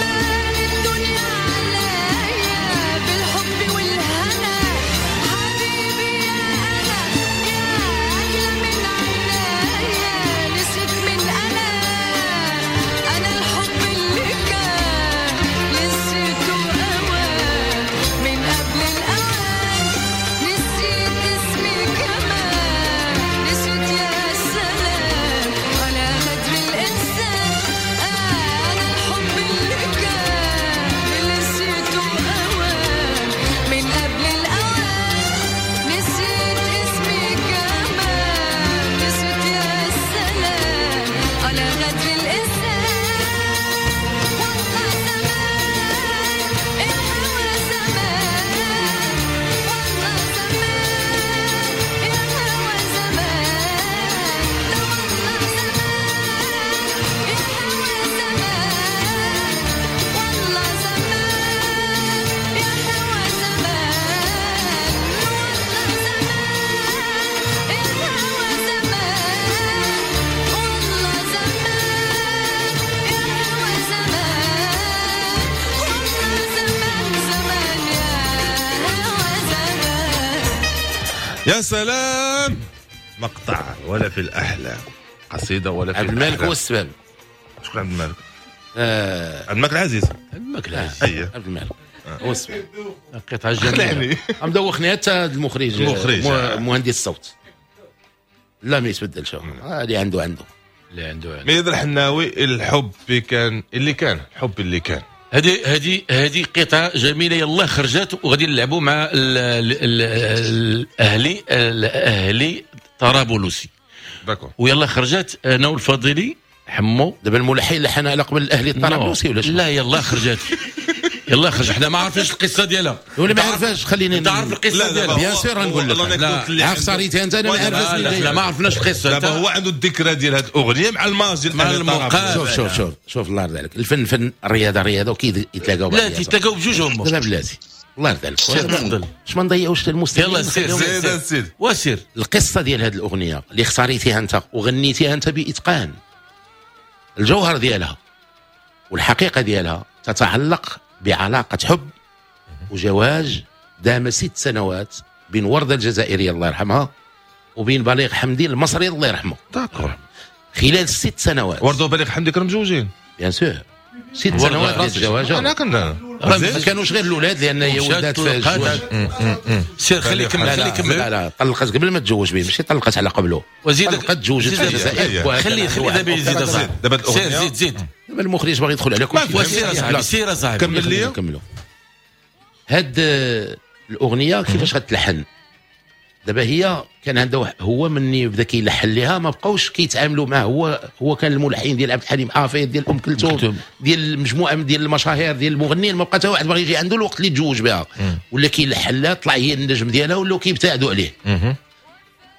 مال الدنيا عليا بالحب والهنا، حبيبي يا انا يا اغلى من عينيا نسيت من انا. انا الحب اللي كان نسيته اوان من قبل الاوان، نسيت اسمي كمان، نسيت يا سلام على غدر الانسان. انا الحب اللي كان نسيته اوان من قبل الاوان، نسيت اسمي كمان، نسيت يا سلام على غدر الانسان. والله زمان الهوى زمان، والله زمان الهوى زمان، ده والله زمان الهوى زمان، والله زمان الهوى زمان، والله زمان الهوى زمان، والله زمان الهوى زمان، والله زمان زمان يا هوى زمان. يا سلام، مقطع ولا في الأحلام، قصيدة ولا في عبد الملك الأحلام. هو السبب. شكون عبد الملك؟ عبد الملك العزيز. عبد الملك العزيز. أيه. عبد الملك هو السبب. قطعه جميلة. خلعني. مدوخني حتى المخرج، المخرج. مهندس الصوت. لا ما يتبدلش هو. اللي عنده عنده. اللي عنده عنده. ميد الحناوي، الحب كان اللي كان، الحب اللي كان. هذه قطعه جميلة يلا خرجت، وغادي نلعبوا مع الاهلي طرابلسي. d'accord. ويلا خرجت انا والفضيلي حمو. دابا الملحن لحن على قبل الاهلي الطرابلسي ولا شنو؟ لا يلا خرجت، يلا خرج، حنا ما عارفينش القصة ديالها. ولا ما عارفاش، خليني انت عارف القصة لا، ديالها؟ bien sûr غنقول لك. لا، عارف صاريتها انت، انا ما عارفاش. لا لا ما عرفناش القصة. دابا هو عنده الذكرى ديال هذه الاغنية مع الماضي مع المقابلة. شوف شوف شوف شوف، الله يرضي عليك، الفن فن، الرياضة رياضة، وكي يتلاقاو لا تيتلاقاو بجوج هما. دابا بلاتي الله يرضي عليك، سير تفضل. باش ما نضيعوش المستمعين. يلا سير زيد سير سيد. وسير. القصة ديال هذه الاغنية اللي اختاريتيها انت وغنيتيها انت باتقان، الجوهر ديالها والحقيقة ديالها تتعلق بعلاقة حب وجواز دام 6 سنوات بين ورده الجزائرية الله يرحمها وبين بليغ حمدي المصري الله يرحمه. d'accord. خلال 6 سنوات. ورده وبليغ حمدي كانوا مجوجين. bien sûr، 6 سنوات ديال الزواج. انا كنت ما كانوش غير الاولاد، لان هي ولدات في الزواج. سير خلي يكمل، خلي يكمل. لا لا، طلقت قبل ما تزوج به، ماشي طلقت على قبله. وزيد طلقت تزوجت في الجزائر. خلي خلي دابا يزيد اصاحبي. دابا سير زيد زيد. دابا المخرج باغي يدخل على كل شيء. وسير اصاحبي، سير اصاحبي. كمل لي. كملوا. هاد الاغنية كيفاش غتلحن؟ دابا هي كان عندها هو مني بدا كيلحن ليها ما بقاوش كيتعاملوا معاه. هو كان الملحن ديال عبد الحليم حافظ، ديال ام كلثوم، ديال مجموعة ديال المشاهير ديال المغنيين، ما بقى حتى واحد باغي يجي عنده الوقت اللي تزوج بها ولا كيلحن لها، طلع هي النجم ديالها ولاو كيبتعدوا عليه.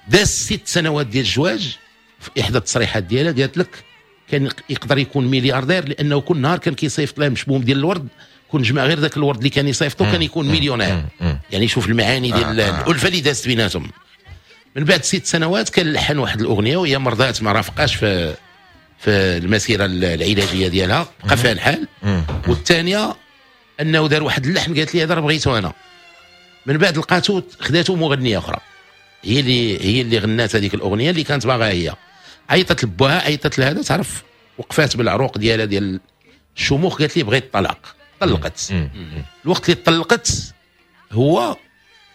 داز 6 سنوات ديال الزواج. في احدى التصريحات ديالها قالت لك كان يقدر يكون ملياردير لانه كل نهار كان كيصيفط لها مشبوم ديال الورد، كون جمع غير ذاك الورد اللي كان يصيفطو كان يكون مليونير. يعني شوف المعاني ديال الالفة اللي دازت بيناتهم. من بعد 6 سنوات كان لحن واحد الاغنية وهي مرضات، ما رافقاش في المسيرة العلاجية ديالها، بقى فيها الحال. والثانية انه دار واحد اللحن قالت لي هذا راه بغيته انا. من بعد لقاتو خداتو مغنيه اخرى هي اللي غنات هذيك الاغنية اللي كانت باغاها هي. عيطت لباها، عيطت لهذا، تعرف وقفات بالعروق ديالها ديال الشموخ، قالت لي بغيت الطلاق. طلقت. الوقت اللي طلقت هو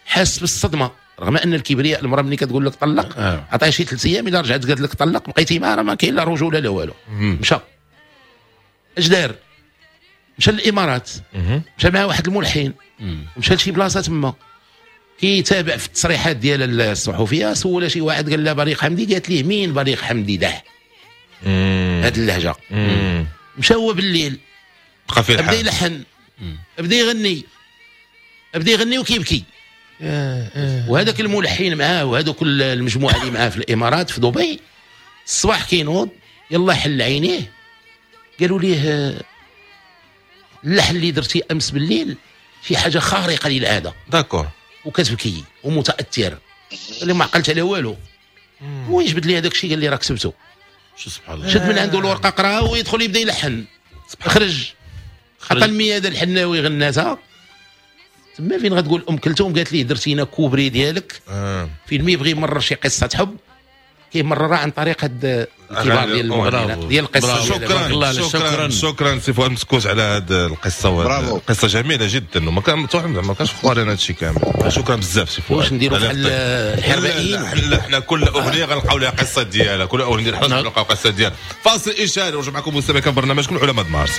حاس بالصدمة، رغم ان الكبرياء المراة ملي كتقول لك طلق عطيها شي 3 ايام، الا رجعت قالت لك طلق بقيتي معها راه ما كاين لا رجوله لا والو. مشى اش دار؟ مشى للامارات، مشى مع واحد الملحن، مشى لشي بلاصة تما كيتابع في التصريحات ديال الصحفية. سول شي واحد قال لها بليغ حمدي، قالت ليه مين بليغ حمدي ده؟ هاد اللهجة. مشى هو بالليل بقى فيه بدا يلحن، بدا يغني، بدا يغني وكيبكي. وهذاك الملحن معاه وهذوك المجموعة اللي معاه في الامارات في دبي، الصباح كينوض يلا حل عينيه، قالوا ليه اللحن اللي درتي امس بالليل شي حاجة خارقة للعادة. d'accord. وكتبكي ومتاثر، قال لي ما عقلت على والو. هو يجبد لي هذاك الشيء قال لي راه كتبته. سبحان الله. شد من عنده الورقة قراها ويدخل يبدا يلحن. خرج عطى المياده الحناوي غناتها تما. فين غتقول ام كلثوم قالت ليه درتينا كوبري ديالك. فين ما يبغي يمرر شي قصة حب كيمررها عن طريق هاد الكبار ديال المغنيين ديال القصة. شكرا شكرا شكرا سي فؤاد مسكوت على هاد القصة، قصة جميلة جدا وما كان ما كانش في انا هادشي كامل. شكرا بزاف سي فؤاد. واش نديروا بحال الحربائيين؟ حنا كل اغنية غنلقاو لها قصة ديالها، كل اغنية ديال حنا غنلقاو قصة ديالها. فاصل اشاري ونرجع معكم مستمعين كان برنامجكم علماء مارس.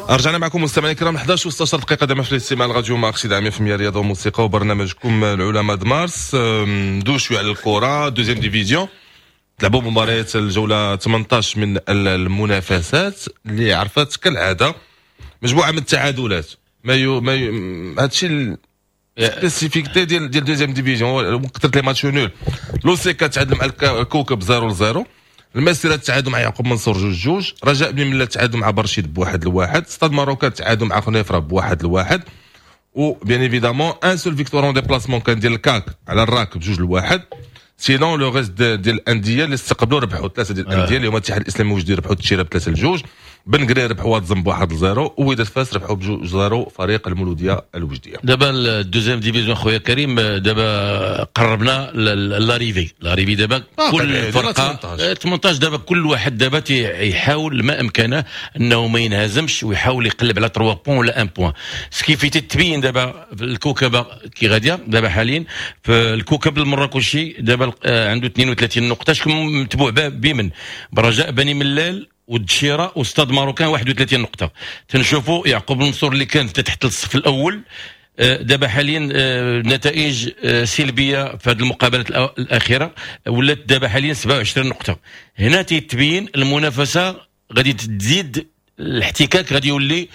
رجعنا معكم مستمعينا الكرام 11 و16 دقيقة دائما في الاستماع لراديو مارس 100% رياضة وموسيقى وبرنامجكم العلماء د مارس. ندوز شوية على الكره deuxième division. تلعبوا مباريات الجولة 18 من المنافسات اللي عرفت كالعادة مجموعة من التعادلات. ما هادشي spécificité ديال deuxième division كثرت les matchs nuls. لوسيكا تعادل مع الكوكب 0-0، المسيرة تعادل مع يعقوب منصور 2-2، رجاء بن ملا تعادل مع برشيد 1-1، ستاد ماروكا تعادل مع خنيفره 1-1، و bien évidemment une seule victoire en déplacement كان ديال الكاك على الراك 2-1. sinon le reste ديال الاندية اللي استقبلوا ربحوا ثلاثة ديال الاندية اللي هما الاتحاد الاسلامي وجدي ربحوا التشيره 3-2، بن قرير ربحوا واد 1-0، ووداد فاس ربحوا 2-0 فريق المولوديه الوجديه. دابا ال deuxième division خويا كريم، دابا قربنا l'arrivée دابا كل فرقه 18 دابا كل واحد دابا يحاول ما امكانه انه ما ينهزمش ويحاول يقلب على 3 points ولا 1 point. ce qui fait تتبين دابا الكوكبه كي غادية دابا حاليا. في الكوكب المراكشي دابا عنده 32 نقطة، شكون متبوع بمن؟ برجاء بني ملال والدشيره وستاد ماروكان 31 نقطة. تنشوفوا يعقوب منصور اللي كان تحت الصف الاول دابا حاليا نتائج سلبية في هذه المقابلات الاخيرة، ولات دابا حاليا 27 نقطة. هنا تيتبين المنافسة غادي تزيد، الاحتكاك غادي يولي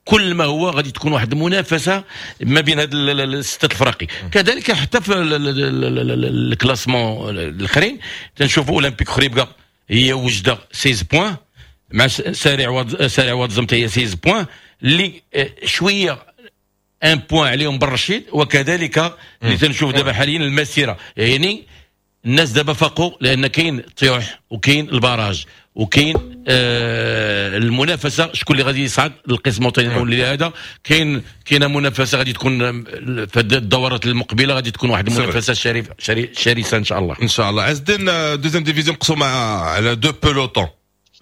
كل ما هو غادي تكون واحد المنافسة ما بين هاد الستة الفراقي. كذلك حتى في ال classement الاخرين تنشوفوا اولمبيك خريبكا هي وجده 16 points مع سارع واد زمت هي 16 points. اللي شوية un point عليهم بالرشيد، وكذلك اللي تنشوف دابا حاليا المسيره. يعني الناس دابا فاقوا، لان كاين الطيوح وكاين ال barrage وكاين المنافسه، شكون اللي غادي يصعد للقسم الوطني. هذا كاينه منافسه غادي تكون في الدورات المقبله، غادي تكون واحد المنافسة شريف شرسة ان شاء الله. ان شاء الله. عز الدين، deuxième division مقسومة على deux pelotons.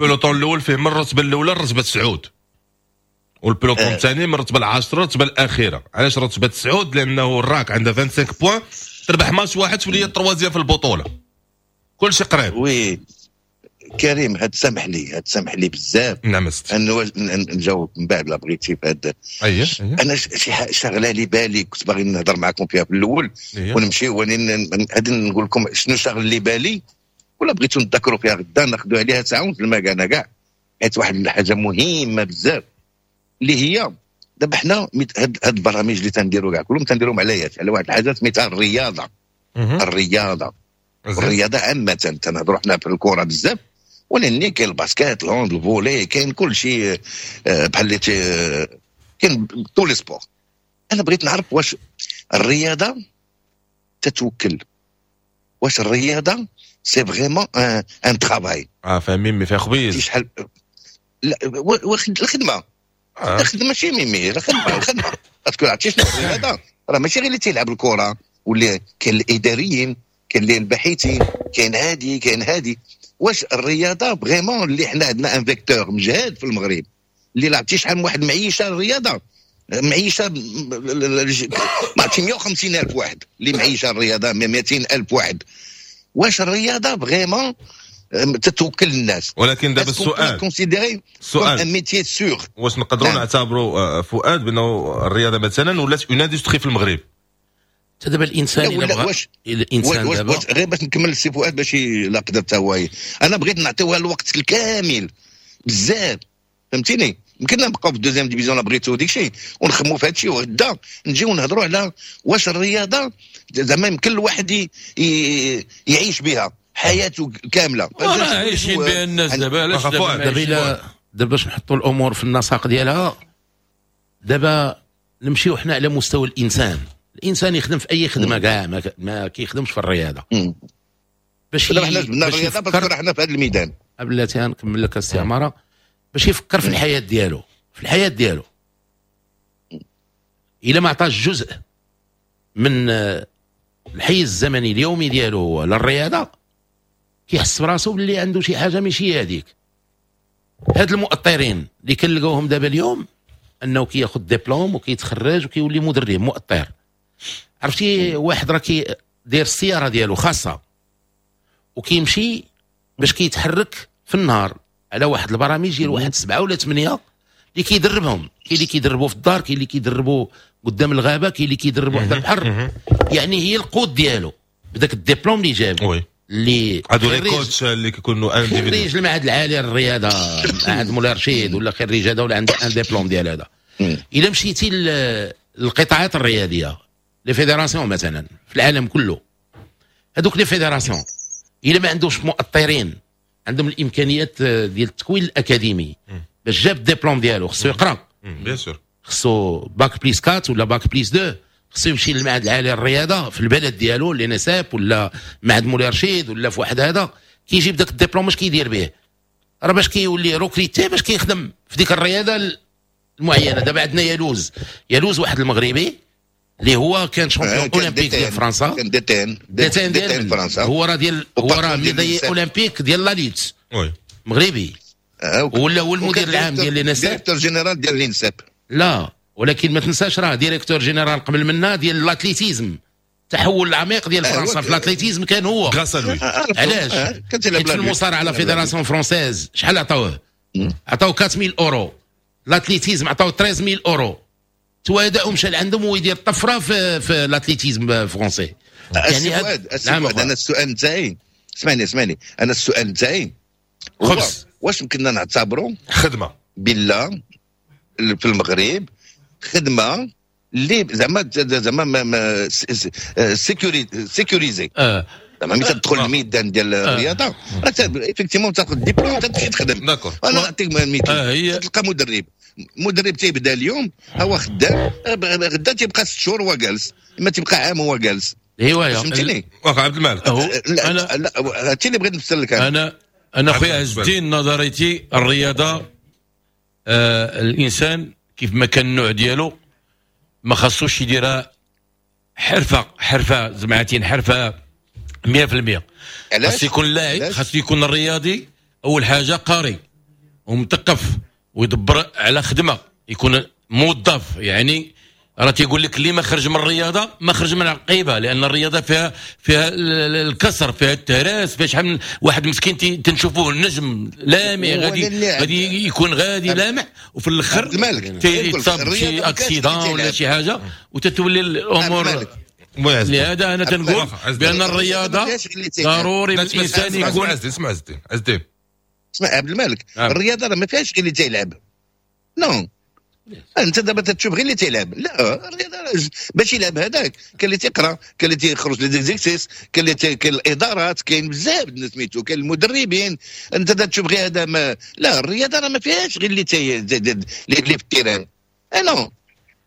peloton الاول فيه من الرتبة الاولى الرتبة تسعود، وال peloton الثاني من الرتبة العاشرة الرتبة الاخيره. علاش رتبه تسعود؟ لانه الراك عندها 25 points، تربح ماتش واحد تولي troisième في البطوله، كل شيء قريب. oui كريم، هاد سامح لي، هاد سامح لي بزاف. نعم. انا نجاوب من بعد لا بغيتي في هاد. اييه. انا شي شغله لي بالي كنت باغي نهضر معكم فيها في الاول. ونمشي غادي نقول لكم شنو شغل لي بالي، ولا بغيتو نتذكروا فيها غدا ناخذوا عليها ساعة ونص المكانة كاع، حيت واحد الحاجة مهمة بزاف اللي هي دابا حنا هاد البرامج اللي تنديروا كاع كلهم تنديروهم على على واحد الحاجة سميتها الرياضه. الرياضة، الرياضة عامه، تنهضروا حنا في الكره بزاف، ولكن كاين ال basket، ال hand، ال volley، كاين كل شيء، بحال اللي كاين tous les sports. انا بغيت نعرف واش الرياضة تتوكل، واش الرياضة c'est vraiment un travail؟ اه فاهمين، فيها خبيز. شحال لا الخدمه. الخدمة ماشي ميمي، الخدمة الخدمه، parce que عرفتي شنو الرياضه؟ راه ماشي غير اللي تيلعب الكره، واللي كاين الاداريين، كاين اللي الباحثين، كاين هادي، كاين هادي. واش الرياضة vraiment اللي حنا عندنا un vecteur مجهد في المغرب اللي لعبتي شحال من واحد معيشة الرياضه، معيشة ما عرفتي 150 الف واحد اللي معيشة الرياضه، 200 الف واحد. واش الرياضة vraiment تتوكل الناس؟ ولكن دابا السؤال considéré السؤال un métier sûr؟ واش نقدروا نعتبروا فؤاد بانه الرياضة مثلا ولات une industrie في المغرب؟ دابا الانسان الا بغى الانسان دابا غير باش نكمل السي فؤاد باش لا قدرت هو، انا بغيت نعطيوها الوقت الكامل بزاف، فهمتيني؟ يمكن نبقاو في ال deuxième division بغيتو ديك الشيء ونخمو في هذا الشيء، وغدا نجيو نهضروا على واش الرياضة زعما يمكن الواحد يعيش بها حياته كامله. عايشين بها الناس دابا، علاش؟ دابا دابا باش نحطوا الامور في النسق ديالها، دابا نمشيو حنا على مستوى الانسان. الانسان يخدم في اي خدمة كاع ما كيخدمش في الرياضه. باش حنا جبنا الرياضة parce que حنا في هذا الميدان. بلاتي نكمل لك السي عماره. باش يفكر في الحياة ديالو، في الحياة ديالو الا ما عطاش جزء من الحيز الزمني اليومي ديالو للرياضه، كيحس براسو باللي عنده شي حاجة ماشي هذيك. هاد المؤطرين اللي كنلقاوهم دابا اليوم انه كياخذ دبلوم وكيتخرج وكيولي مدرب مؤطر، عرفتي؟ واحد راه داير السيارة ديالو خاصة وكيمشي باش كيتحرك في النهار على واحد البرامج ديال واحد 7 ولا 8 اللي كيدربهم. كاين اللي كيدربوا في الدار، كاين اللي كيدربوا قدام الغابه، كاين اللي كيدربوا حدا البحر. يعني هي القوت ديالو بداك الدبلوم اللي جاب. اللي هادو les coachs اللي كيكونوا خريج المعهد العالي للرياضه، معهد مولاي رشيد، ولا خريج هذا، ولا عنده un diplôme ديال هذا. الا مشيتي للقطاعات الرياضيه، les fédérations مثلا في العالم كله، هذوك les fédérations الا ما عندوش مؤطرين عندهم الامكانيات ديال التكوين الاكاديمي، باش جاب الدبلوم ديالو خصو يقرا. bien sûr. خصو bac plus 4 ولا bac plus 2، خصو يمشي للمعهد العالي للرياضة في البلد ديالو، l'ENSEP ولا معهد مولاي رشيد ولا في واحد هذا. كيجيب داك الدبلوم اش كيدير به؟ راه باش كيولي recruté باش كيخدم في ديك الرياضة المعينه. دابا عندنا يالوز، يالوز واحد المغربي اللي هو كان champion olympique ديال فرنسا. كان DTN. DTN ديال فرنسا. هو راه ديال هو راه médaillé olympique ديال la lutte مغربي، ولا هو المدير العام ديال l'ENSEP. directeur général ديال l'ENSEP. لا، ولكن ما تنساش راه directeur général قبل منا ديال l'athlétisme، التحول العميق ديال فرنسا في l'athlétisme كان هو. علاش؟ حيت في المصارعة la fédération française شحال عطاوه؟ عطاو 4000 euros. l'athlétisme عطاو 13000 اورو. توادى ومشى لعندهم ويدير طفرة في l'athlétisme français. يعني نعم، انا السؤال نتاعي، اسمعني اسمعني، انا السؤال نتاعي خبز، واش يمكننا نعتبروا خدمة بالله في المغرب، خدمة اللي زعما sécurisée؟ زعما ملي تدخل الميدان ديال الرياضة راه effectivement تاخذ ديبلوم تمشي تخدم. انا نعطيك مثال، تلقى مدرب مدرب تيبدا اليوم هو خدام، غدا تيبقى 6 شهور هو جالس، اما تيبقى عام هو جالس. هوايه. فهمتيني؟ واخا عبد الملك. لا لا، هادشي اللي بغيت نفسر لك انا. انا خويا عز الدين، نظريتي الرياضه، الانسان كيف ما كان النوع ديالو ما خاصوش يديرها حرفه، حرفه زعما حرفه 100%. علاش؟ خاص يكون لاعب، خاص يكون الرياضي اول حاجة قاري ومثقف ويدبر على خدمه، يكون موظف. يعني راه تيقول لك اللي ما خرج من الرياضة ما خرج من العقيبه، لان الرياضة فيها الكسر، فيها التهراس، فيها شحال من واحد مسكين تنشوفوه النجم لامع، غادي يكون غادي لامع وفي الاخر تيتصاب شي accident ولا شي حاجة وتتولي الامور. لهذا انا تنقول بان الرياضة ضروري الانسان يكون اسمع عز الدين، عز الدين. اسمع عبد الملك، الرياضة راه ما فيهاش غير اللي تيلعب. non، انت دابا تشوف غير اللي تيلعب. لا، الرياضة باش يلعب هذاك كاين اللي تيقرا، كاين اللي تيخرج les exercices، كاين اللي كاين الادارات، كاين بزاف الناس سميتو، كاين المدربين. انت تشوف غير هذا ما لا، الرياضة راه ما فيهاش غير اللي في ال terrain. non،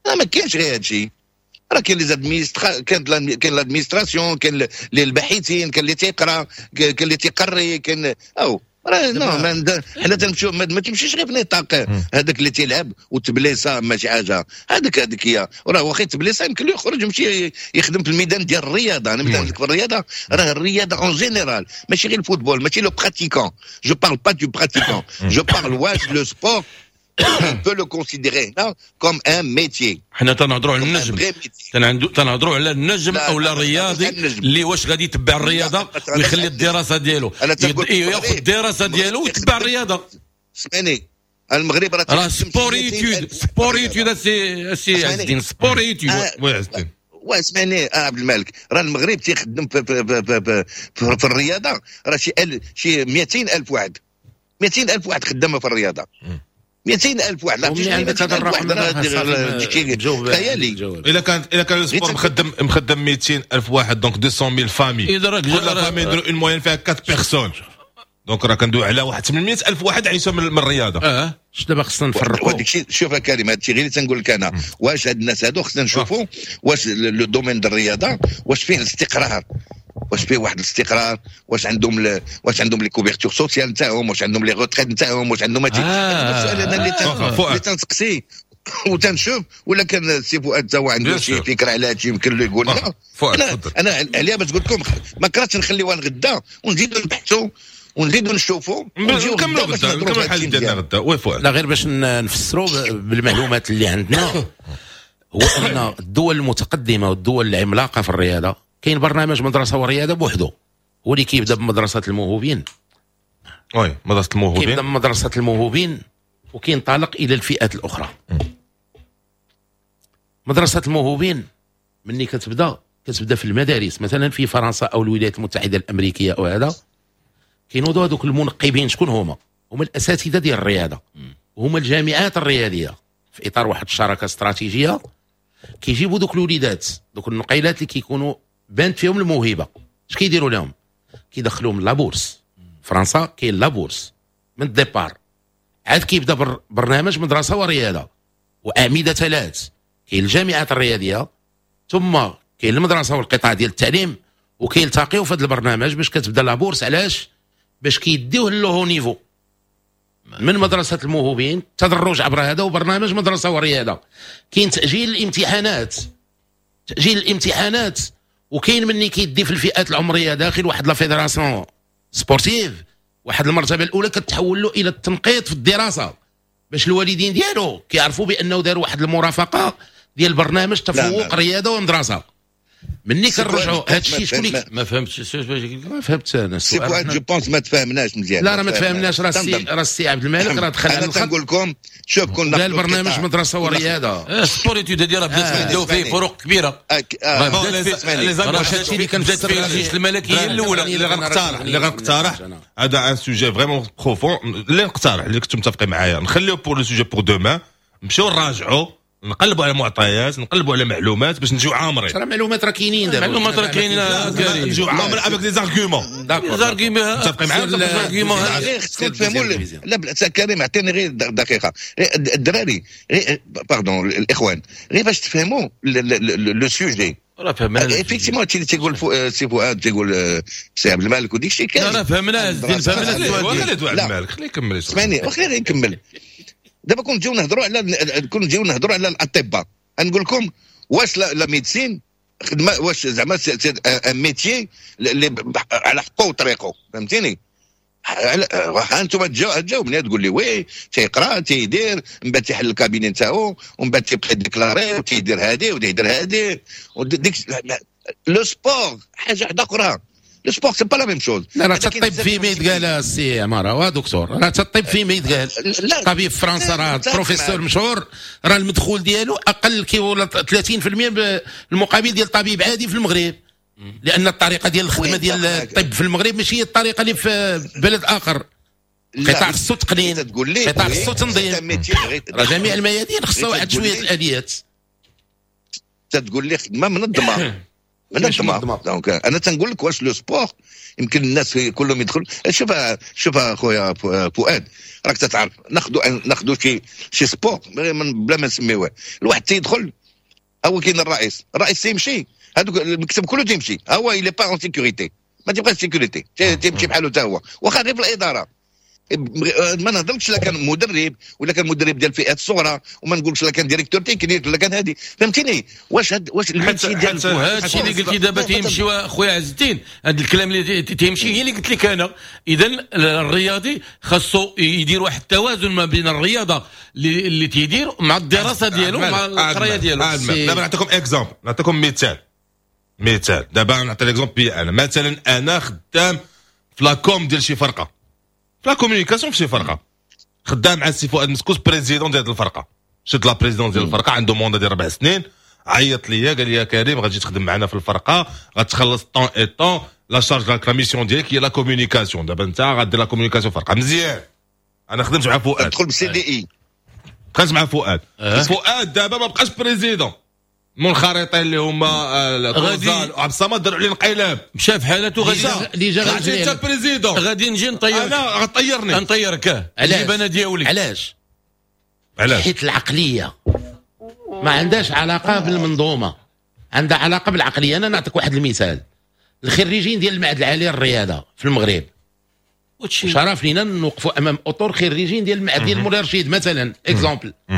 راه ما كاينش غير هذا الشيء. راه كاين les administra كاين l'administration، كاين الباحثين، كاين اللي تيقرا، كاين اللي تيقري، كاين او راه non، حنا تنمشيو ما تمشيش غير في نطاق هذاك اللي تيلعب وتبليسا ماشي حاجه. هذاك هي راه واخا يتبليسا يمكن له يخرج يمشي يخدم في الميدان ديال الرياضه. انا مثلا في الرياضه، راه الرياضة en général، ماشي غير ال football، ماشي le pratiquant، je parle pas du pratiquant، je parle واش le sport on peut le considérer هنا comme un métier. حنا تنهضروا على النجم، تنهضروا على النجم او الرياضي اللي واش غادي يتبع الرياضة ويخلي الدراسة ديالو، ياخذ الدراسة ديالو ويتبع الرياضه. اسمعني، المغرب راه sport-études، sport-études سي عز الدين، sport-études. oui عز الدين. واسمعني عبد الملك، راه المغرب تيخدم في الرياضة راه شي 200 الف واحد، 200 الف واحد خدامه في الرياضه، 200 الف واحد. لا، عندك هذا الرقم؟ خيالي. الا كان ال sport مخدم 200 الف واحد، donc 200 mille familles، كل famille يديروا une moyenne فيها 4 personnes، donc راه كندوي على واحد 800 الف واحد عايشه من الرياضه. اش دابا خصنا نفرقوا؟ وداك الشيء، شوف يا كريم، هذا الشيء غير اللي تنقول لك انا، واش هاد الناس هادو خصنا نشوفوا واش le domaine ديال الرياضة واش فيه الاستقرار، واش فيه واحد الاستقرار، واش عندهم les couvertures sociales نتاعهم، واش عندهم les retraites نتاعهم، واش عندهم هادشي. السؤال انا اللي تنسقسي وتنشوف، ولا كان السي فؤاد هو عنده شي فكرة على هادشي يمكن له يقول لنا. انا عليها باش قلت لكم ما كرهتش نخليوها لغدا ونزيدوا نبحثوا ونزيدوا نشوفوا. نكملوا غدا، نكملوا الحديث ديالنا غدا. oui فؤاد. لا، غير باش نفسروا بالمعلومات اللي عندنا، هو ان الدول المتقدمة والدول العملاقة في الرياضة كاين برنامج مدرسه ورياضة بوحده، هو اللي كيبدا بمدرسة الموهوبين. oui، مدرسه الموهوبين. كيبدا بمدرسة الموهوبين وكينطلق الى الفئات الاخرى. مدرسه الموهوبين مني كتبدا في المدارس، مثلا في فرنسا او الولايات المتحدة الامريكية او هذا، كينوضوا هذوك المنقبين. شكون هما؟ هما الاساتذة ديال الرياضه وهما الجامعات الرياضيه، في اطار واحد الشراكة استراتيجية كيجيبوا دوك الوليدات، دوك النقيلات اللي كيكونوا بانت فيهم الموهبه. اش كيديروا لهم؟ كيدخلوهم la bourse. فرنسا كاين la bourse من ال départ. عاد كيبدا برنامج مدرسه ورياضة واعمده ثلاث: كاين الجامعات الرياضيه، ثم كاين المدرسة والقطاع ديال التعليم، وكيلتقيو في هذا البرنامج باش كتبدا la bourse. علاش؟ باش كيديوه le haut niveau من مدرسه الموهوبين، تدرج عبر هذا وبرنامج مدرسه ورياضه. كاين تاجيل الامتحانات، تاجيل الامتحانات، وكاين مني كيدي في الفئات العمرية داخل واحد la fédération sportive واحد المرتبة الاولى كتحول له الى التنقيط في الدراسه، باش الوالدين ديالو كيعرفوا بانه داروا واحد المرافقة ديال برنامج تفوق رياضة ومدرسه. مني كنرجعوا هذا الشيء شكون اللي ما فهمتش. ما فهمت انا. سي فؤاد، je pense ما تفاهمناش مزيان. لا، راه ما تفاهمناش. راه السي عبد الملك راه دخل على انا تنقول لكم، شوف، كنا قال برنامج مدرسه ورياضه. sport-études هذه راه بدات، بداو فيه فروق كبيره. هادشي اللي كان فيه الجيش الملكي هي الاولى. اللي غنقترح هذا un sujet vraiment profond. اللي نقترح، اللي كنتم متفقين معايا، نخليو pour le sujet pour demain، نمشيو نراجعوا. نقلبوا على معطيات، نقلبوا على معلومات باش نجيو عامرين. راه معلومات راه كاينين دابا. معلومات راه كاينين. نجيو عامرين avec des arguments. des arguments. متفقين معايا؟ غير خصكم تفهموا. لا كريم، اعطيني غير دقيقه. الدراري، pardon، الاخوان، غير باش تفهموا le sujet. راه فهمنا. effectivement هادشي اللي تيقول سي فؤاد، تيقول سي عبد الملك وديك الشيء كاين. راه فهمنا، فهمنا. السؤال. خلي عبد الملك، خليه يكمل. اسمعني، وخليني نكمل. دابا كون نجيو نهضروا على الاطباء، نقول لكم واش la médecine خدمه؟ واش زعما un métier اللي على حقه وطريقه؟ فهمتيني؟ انتم تجاوبني، تقول لي oui، تيقرا، تيدير، من بعد تيحل ال cabinet نتاعو، ومن بعد تيبقى déclarer وتيدير هادي وتيدير هادي وديك. le sport حاجة واحدة اخرى، le sport c'est pas la même chose. لا، راه الطب في ما يتقال السي عمارة دكتور، راه الطب في ما يتقال. طبيب في فرنسا راه بروفيسور مشهور، راه المدخول ديالو اقل كي ولا 30% بالمقابل ديال طبيب عادي في المغرب، لان الطريقة ديال الخدمة ديال الطب في المغرب ماشي هي الطريقة اللي في بلد اخر. قطاع خصو تقنين، قطاع خصو تنظيم، راه جميع الميادين خصها واحد شوية الاليات. تقول لي خدمة منظمة منظمه، donc انا تنقول لك واش le sport يمكن الناس كلهم يدخلوا؟ شوف شوف اخويا فؤاد، راك تتعرف، ناخذوا شي sport بلا ما نسميوه، الواحد تيدخل، هو كاين الرئيس، الرئيس تيمشي، هذوك المكتب كله تيمشي، هو il est pas en sécurité، ما تيبقاش sécurité، تيمشي بحالو حتى هو، واخا غير في الاداره. ما نهضرش لا كان مدرب ولا كان مدرب ديال الفئات الصغرى، وما نقولش لا كان directeur technique ولا كان هادي، فهمتيني؟ واش ال métier ديال وهذا الشيء اللي قلتي دابا تيمشي خويا عز الدين، هذا الكلام اللي تيمشي هي اللي قلت لك انا. اذا الرياضي خاصو يدير واحد التوازن ما بين الرياضة اللي تيدير مع الدراسة ديالو، مع القراية ديالو. دابا نعطيكم exemple، نعطيكم مثال. دابا نعطي l'exemple بي انا مثلا، انا خدام في la com ديال شي فرقه، في la communication في شي فرقه، خدام مع السي فؤاد مسكوس، président ديال الفرقه، شد la présidence ديال الفرقه، عنده mandat ديال 4 سنين. عيط ليا قال لي: يا كريم، غتجي تخدم معنا في الفرقه، غتخلص tant et tant، la charge، la mission ديالك هي la communication. دابا انت غدير la communication في الفرقه. مزيان، انا خدمت مع فؤاد. تدخل بال CDI. خدمت مع فؤاد. فؤاد دابا ما بقاش président، منخرطين اللي هما غادي عبد الصمد داروا عليه انقلاب. مشى في حالته. غادي اللي جا غادي انت président. غادي نجي نطيرك. انا غطيرني. نطيرك. علاش؟ نجيب انا ديالي. علاش؟ علاش؟ حيت العقلية ما عندهاش علاقة بالمنظومه، عندها علاقة بالعقليه. انا نعطيك واحد المثال: الخريجين ديال المعهد العالي للرياضة في المغرب، شرف لينا نوقفوا امام اطر خريجين ديال المعهد ديال مولاي رشيد مثلا، exemple.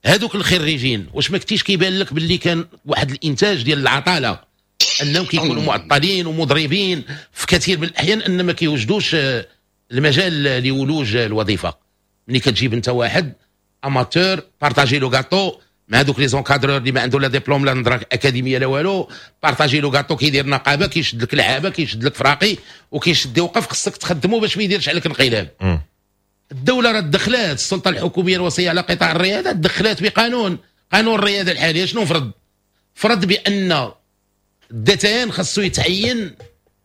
هذوك الخريجين واش ما كنتيش كيبان لك باللي كان واحد الانتاج ديال العطاله، انهم كيكونوا معطلين ومضربين في كثير من الاحيان، ان ما كيوجدوش المجال لولوج الوظيفه؟ ملي كتجيب انت واحد amateur، partager le gâteau مع هذوك les encadreurs اللي ما عنده لا ديبلوم لا نظره اكاديمية لا والو، partager le gâteau، كيدير نقابه، كيشد لك لعابه، كيشد لك فراقي، وكيشد يوقف، خصك تخدمه باش ما يديرش عليك انقلاب. الدولة راه دخلات، السلطة الحكومية الوصية على قطاع الرياضة دخلات بقانون، قانون الرياضة الحالية شنو فرض؟ فرض بان ال DTN خاصو يتعين،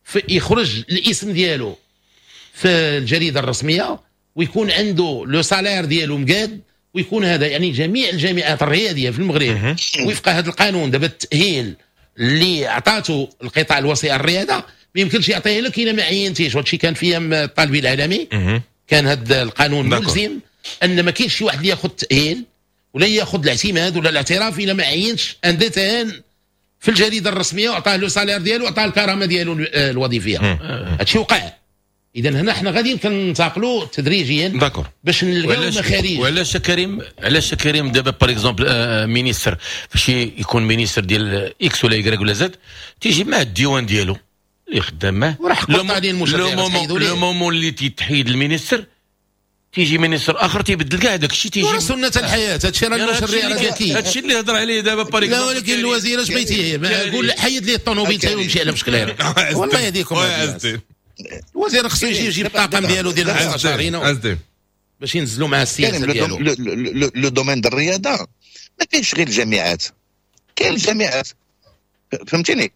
في يخرج الاسم ديالو في الجريدة الرسميه، ويكون عنده le salaire ديالو مقاد، ويكون هذا. يعني جميع الجامعات الرياضية في المغرب وفق هذا القانون دابا، التاهيل اللي عطاته القطاع الوصي على الرياضة ما يمكنش يعطيه لك الا ما عينتيش. وهادشي كان في ايام الطالبي العلمي، كان هذا القانون ملزم ان ما كاينش شي واحد اللي ياخذ التاهيل ولا ياخذ الاعتماد ولا الاعتراف الا ما عينش un DTN في الجريدة الرسمية وعطاه le salaire ديالو وعطاه الكرامة ديالو الوظيفيه. هادشي وقع. اذا هنا حنا غاديين كننتقلوا تدريجيا باش نلقاو مخارج. وعلاش كريم، علاش كريم؟ دابا par exemple ministre، فاش يكون ministre ديال X ولا Y ولا Z، تيجي معاه الديوان ديالو اللي خدام معاه. وراه حق le moment اللي تيتحيد ال ministre، تيجي ministre اخر تيبدل كاع داك الشيء. تيجي سنة الحياه، هادشي راه المشرع راه ذكي. هادشي اللي هضر عليه دابا par لا، ولكن الوزير اش بغيتي؟ قول حيد ليه الطوموبيل تاعو ويمشي على مشكل. والله يهديكم، الوزير خصو يجي يجيب الطاقم ديالو ديال المستشارين باش ينزلوا مع السياسة ديالو. le domaine ديال الرياضة ما كاينش غير الجامعات، كاين الجامعات، فهمتيني؟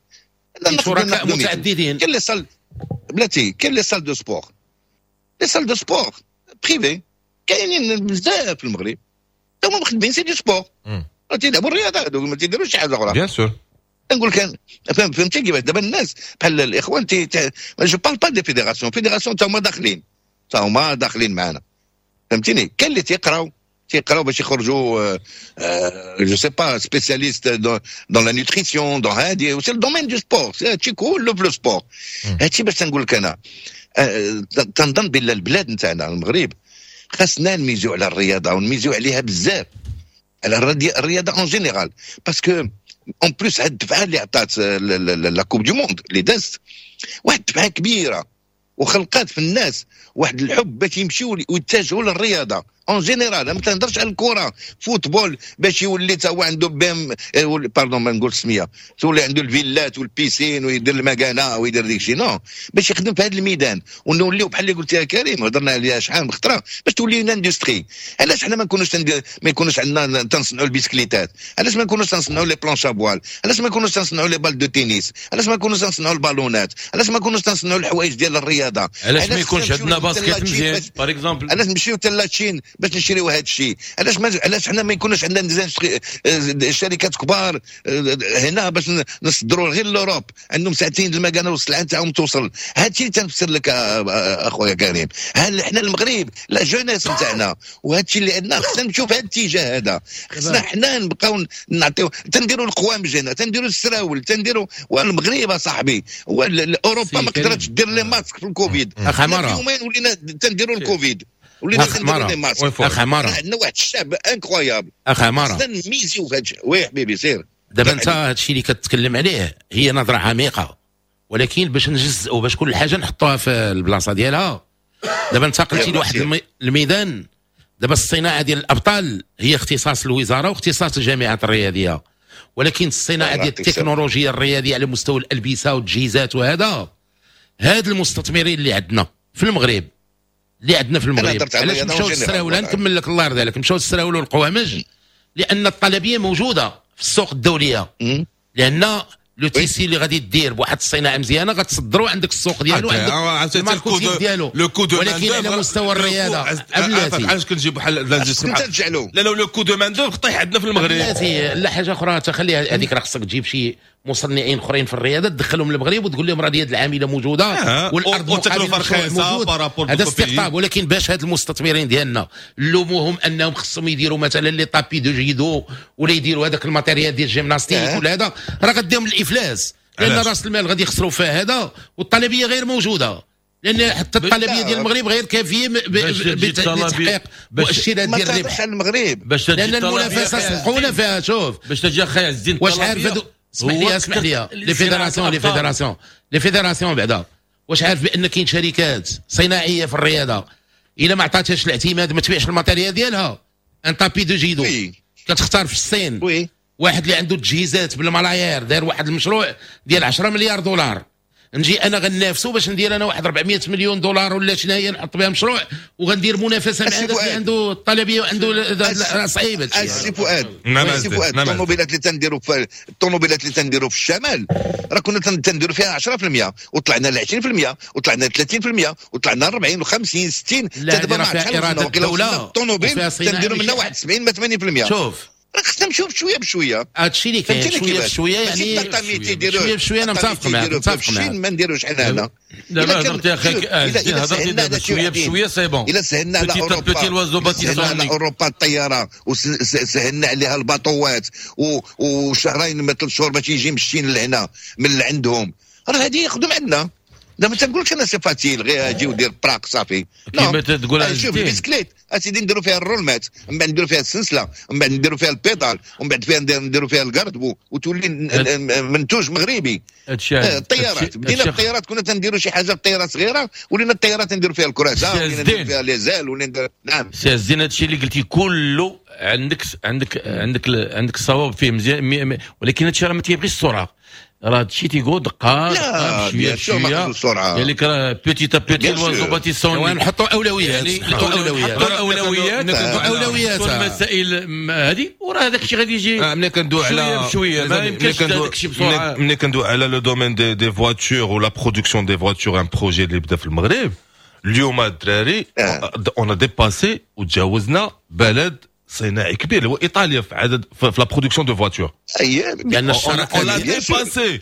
شركاء متعددين. كاين les salles، بلاتي، كاين les salles de sport، les salles de sport privées كاينين بزاف في المغرب، هما مخدمين، c'est du sport. راه تيلعبوا الرياضة هذوك، ما تيديروش شي حاجة اخرى. bien sûr. نقول كان فهمتي كيفاش دابا الناس بحال الاخوان je parle pas des fédérations، fédérations تا هما داخلين، تا هما داخلين معنا، فهمتيني؟ كاين اللي تيقراو باش يخرجوا je sais pas spécialistes dans la nutrition، dans هادي، c'est le domaine du sport، هادشي كله في le sport. هادشي باش تنقول لك انا تنظن بان البلاد نتاعنا المغرب خاصنا نميزو على الرياضة ونميزو عليها بزاف، على الرياضة en général، parce que en plus هاد الدفعة اللي عطات la Coupe du monde اللي دازت واحد الدفعة كبيرة وخلقات في الناس واحد الحب باش يمشيو ويتجهوا للرياضة en général. ما تنهضرش على الكره، football، باش يولي تا هو عنده بام، pardon ما نقول السميه، تولي عنده الفيلات وال piscine ويدير المكانة ويدير ديك الشيء، non، باش يخدم في هذا الميدان ونوليو بحال اللي قلت يا كريم، هضرنا عليها شحال من خطره، باش تولي une industrie. علاش حنا ما يكونوش عندنا تنصنعوا البيسكليتات؟ علاش ما نكونوش تنصنعوا les planches à voile؟ علاش ما نكونوش تنصنعوا les balles de tennis؟ علاش ما نكونوش تنصنعوا البالونات؟ علاش ما نكونوش تنصنعوا الحوايج ديال الرياضة؟ علاش ما يكونش عندنا basket مزيان par exemple؟ علاش نمشيو حتى la Chine باش نشريو هذا الشيء؟ علاش ما علاش حنا ما يكونوش عندنا شركات كبار هنا باش نصدروا غير l'Europe؟ عندهم ساعتين المكانة والسلعه نتاعهم توصل. هذا الشيء اللي تنفسر لك اخويا كريم. هل حنا المغرب la jeunesse نتاعنا وهذا الشيء اللي عندنا خصنا نمشيو في هذا الاتجاه هذا. خصنا حنا نبقاو نعطيو، تنديروا القوامج هنا، تنديروا السراول، تنديروا، والمغرب صاحبي اوروبا ما قدرتش دير les masques في الكوفيد. اخ عمارة. يومين ولينا تنديروا الكوفيد، ولينا تنديروا les masques. اخ عماره. عندنا واحد الشعب incroyable. اخ عماره. خصنا نميزيو في هذا الشيء. oui حبيبي سير. دابا انت هادشي اللي كتكلم عليه هي نظره عميقه، ولكن باش نجزئوا، باش كل حاجة نحطوها في البلاصة ديالها. دابا انتقلتي لواحد الميدان. دابا الصناعة ديال الابطال هي اختصاص الوزارة واختصاص الجامعات الرياضيه، ولكن الصناعة ديال التكنولوجيا الرياضية على مستوى الالبسة والتجهيزات وهذا، هاد المستثمرين اللي عندنا في المغرب، اللي عندنا في المغرب، علاش مشاو للسراول؟ نكمل لك الله يرضي عليك. مشاو للسراول والقوامج لان الطلبيه موجودة في السوق الدوليه، لان le tissu اللي غادي دير بواحد الصناعة مزيانه غتصدروا، عندك السوق ديالو، عندك ال marketing ديالو. ولكن على مستوى الرياضة بلاتي، علاش كنجيب بحال لا لا le coût de main d'œuvre طيح عندنا في المغرب. بلاتي، لا، حاجة اخرى تخليها هذيك، راه خصك تجيب شي مصنعين اخرين في الرياضة تدخلهم للمغرب وتقول لهم راه اليد العاملة موجودة والارض والتكلفه رخيصة. هذا استقطاب. ولكن باش هاد المستثمرين ديالنا نلوموهم انهم خصهم يديروا مثلا les tapis de judo ولا يديروا هذاك ال matériel ديال الجيمناستيك ولا هذا، راه غديهم الافلاس، لان راس المال غادي يخسروا فيه هذا والطلبيه غير موجوده، لان حتى الطلبيه ديال المغرب غير كافيه لتحقيق مؤشرات ديال الربح. المغرب باش لان المنافسة سبقونا فيها. شوف باش تجي اخي عز الدين. واش عارف، اسمح لي، اسمح لي، les fédérations les fédérations les fédérations بعدا، واش عارف بان كاين شركات صناعية في الرياضة الا ما عطاتهاش الاعتماد ما تبيعش ال matériel ديالها؟ un tapis de judo كتختار في الصين واحد اللي عنده تجهيزات بالملايير، داير واحد المشروع ديال 10 مليار دولار، نجي انا غنافسو باش ندير انا واحد 400 مليون دولار ولا شنو هي، نحط بها مشروع وغندير منافسه مع هذاك اللي عنده الطلبيه وعنده، صعيب. السي فؤاد، السي فؤاد، الطوموبيلات اللي تنديروا في الشمال راه كنا تنديروا فيها 10% وطلعنا ل 20% وطلعنا ل 30% وطلعنا ل 40 و50 60. دابا ما فيها اراده الدوله. الطوموبيل تنديروا منها واحد 70 ما 80%. شوف، خصنا نمشيو بشوية بشويه. هادشي اللي كاين، شوية بشويه، يعني شوية بشويه. انا متفق معاك، متفق معاك. ما نديروش حنا هنا. دابا هضرتي اخي، هضرتي دابا شوية بشويه، c'est bon. الا سهلنا على اوروبا، سهلنا على اوروبا الطيارة وسهلنا عليها الباطوات وشهرين ما 3 شهور باش يجي من الشين لهنا من اللي عندهم، راه هذه يخدم عندنا. دابا تنقولش انا c'est facile غير اجي ودير براك صافي. كيما تقول. شوف البسكليت اسيدي، نديروا فيها الرولمات، من بعد نديروا فيها السلسله، ومن بعد نديروا فيها ال pédales، ومن بعد فيها نديروا فيها ال garde-boue وتولي منتوج مغربي. الطيارات، بدينا بالطيارات، كنا تنديروا شي حاجة بطيارة صغيره، ولينا الطيارات نديروا فيها الكراسة، ولينا نديروا فيها les ailes، ولينا نعم. سي الزين، هادشي اللي قلتي كله عندك الصواب فيه مزيان، ولكن هادشي راه ما تيبغيش السرعه، راه هادشي تيقول دقه دقه، بشوية بشويه. يعني راه petit à petit l'oiseau bâtit son نحطوا اولويات. نحطوا اولويات، نحطوا اولويات. اولويات. المسائل هذه وراه هذاك الشيء غادي يجي. ملي كندوي على بشوية، ما يمكنش هذاك الشيء بسرعه. ملي كندوي على le domaine des voitures و la production des voitures، un projet اللي بدا في المغرب اليوم الدراري، on a dépassé وتجاوزنا بلد صناعي كبير اللي هو ايطاليا في عدد في la production de voitures. لان الشراكات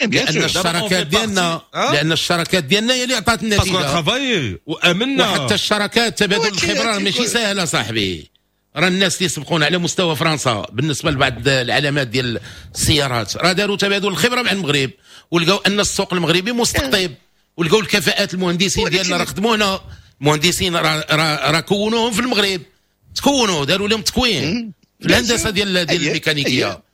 لان الشراكات ديالنا، لان الشراكات ديالنا هي اللي عطات النتيجه. parce que travaillé وامنا. وحتى الشراكات، تبادل الخبرة ماشي سهلة صاحبي. راه الناس اللي سبقونا على مستوى فرنسا بالنسبة لبعض العلامات ديال السيارات راه داروا تبادل الخبرة مع المغرب، ولقاو ان السوق المغربي مستقطب، ولقاو الكفاءات، المهندسين ديالنا راه خدموا هنا، المهندسين راه كونوهم في المغرب، تكونوا، داروا لهم تكوين في الهندسة ديال الميكانيكيه.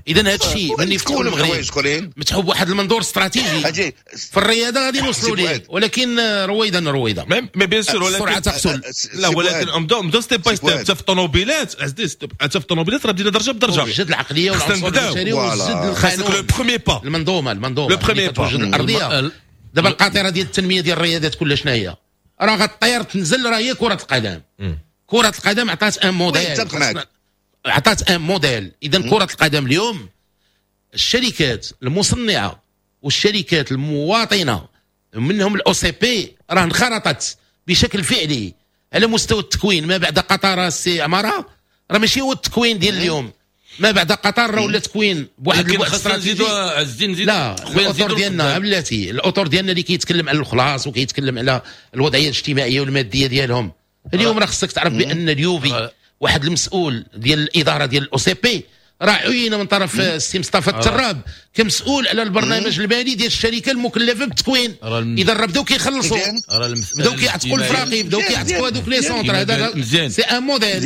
اذا هذا الشيء ملي فتحوا المغرب متحوا بواحد المنظور استراتيجي في الرياضة غادي نوصلوا ليه، ولكن رويدا رويدا. mais bien sûr، ولكن السرعة تقتل. لا، ولكن نبداو step by step. حتى في الطوموبيلات، حتى في الطوموبيلات راه بدينا درجه بدرجه. وجد العقلية والعنصر البشري وجد خاصك le premier pas. المنظومه le premier pas. الارضيه. دابا القاطره ديال التنمية ديال الرياضات كلها شنو هي؟ راه غطير تنزل، راه هي كره القدم. كره القدم عطات un modèle، عطات un modèle. اذا كره القدم اليوم الشركات المصنعة والشركات المواطنة منهم ال OCP راه انخرطت بشكل فعلي على مستوى التكوين. ما بعد قطر السي عمارة راه ماشي هو التكوين ديال اليوم. ما بعد قطر راه ولا تكوين بواحد البعد استراتيجي. لا، الاطر ديالنا، بلاتي، الاطر ديالنا اللي كيتكلم على الخلاص وكيتكلم على الوضعية الاجتماعية والمادية ديالهم اليوم، راه خصك تعرف بان اليوفي واحد المسؤول ديال الادارة ديال ال OCP راه عين من طرف السي مصطفى التراب كمسؤول على البرنامج المالي ديال الشركة المكلفه بالتكوين. اذا راه بداو كيخلصوا، بداو كيعتقوا الفراقي، بداو كيعتقوا هذوك les centres. هذا c'est un modèle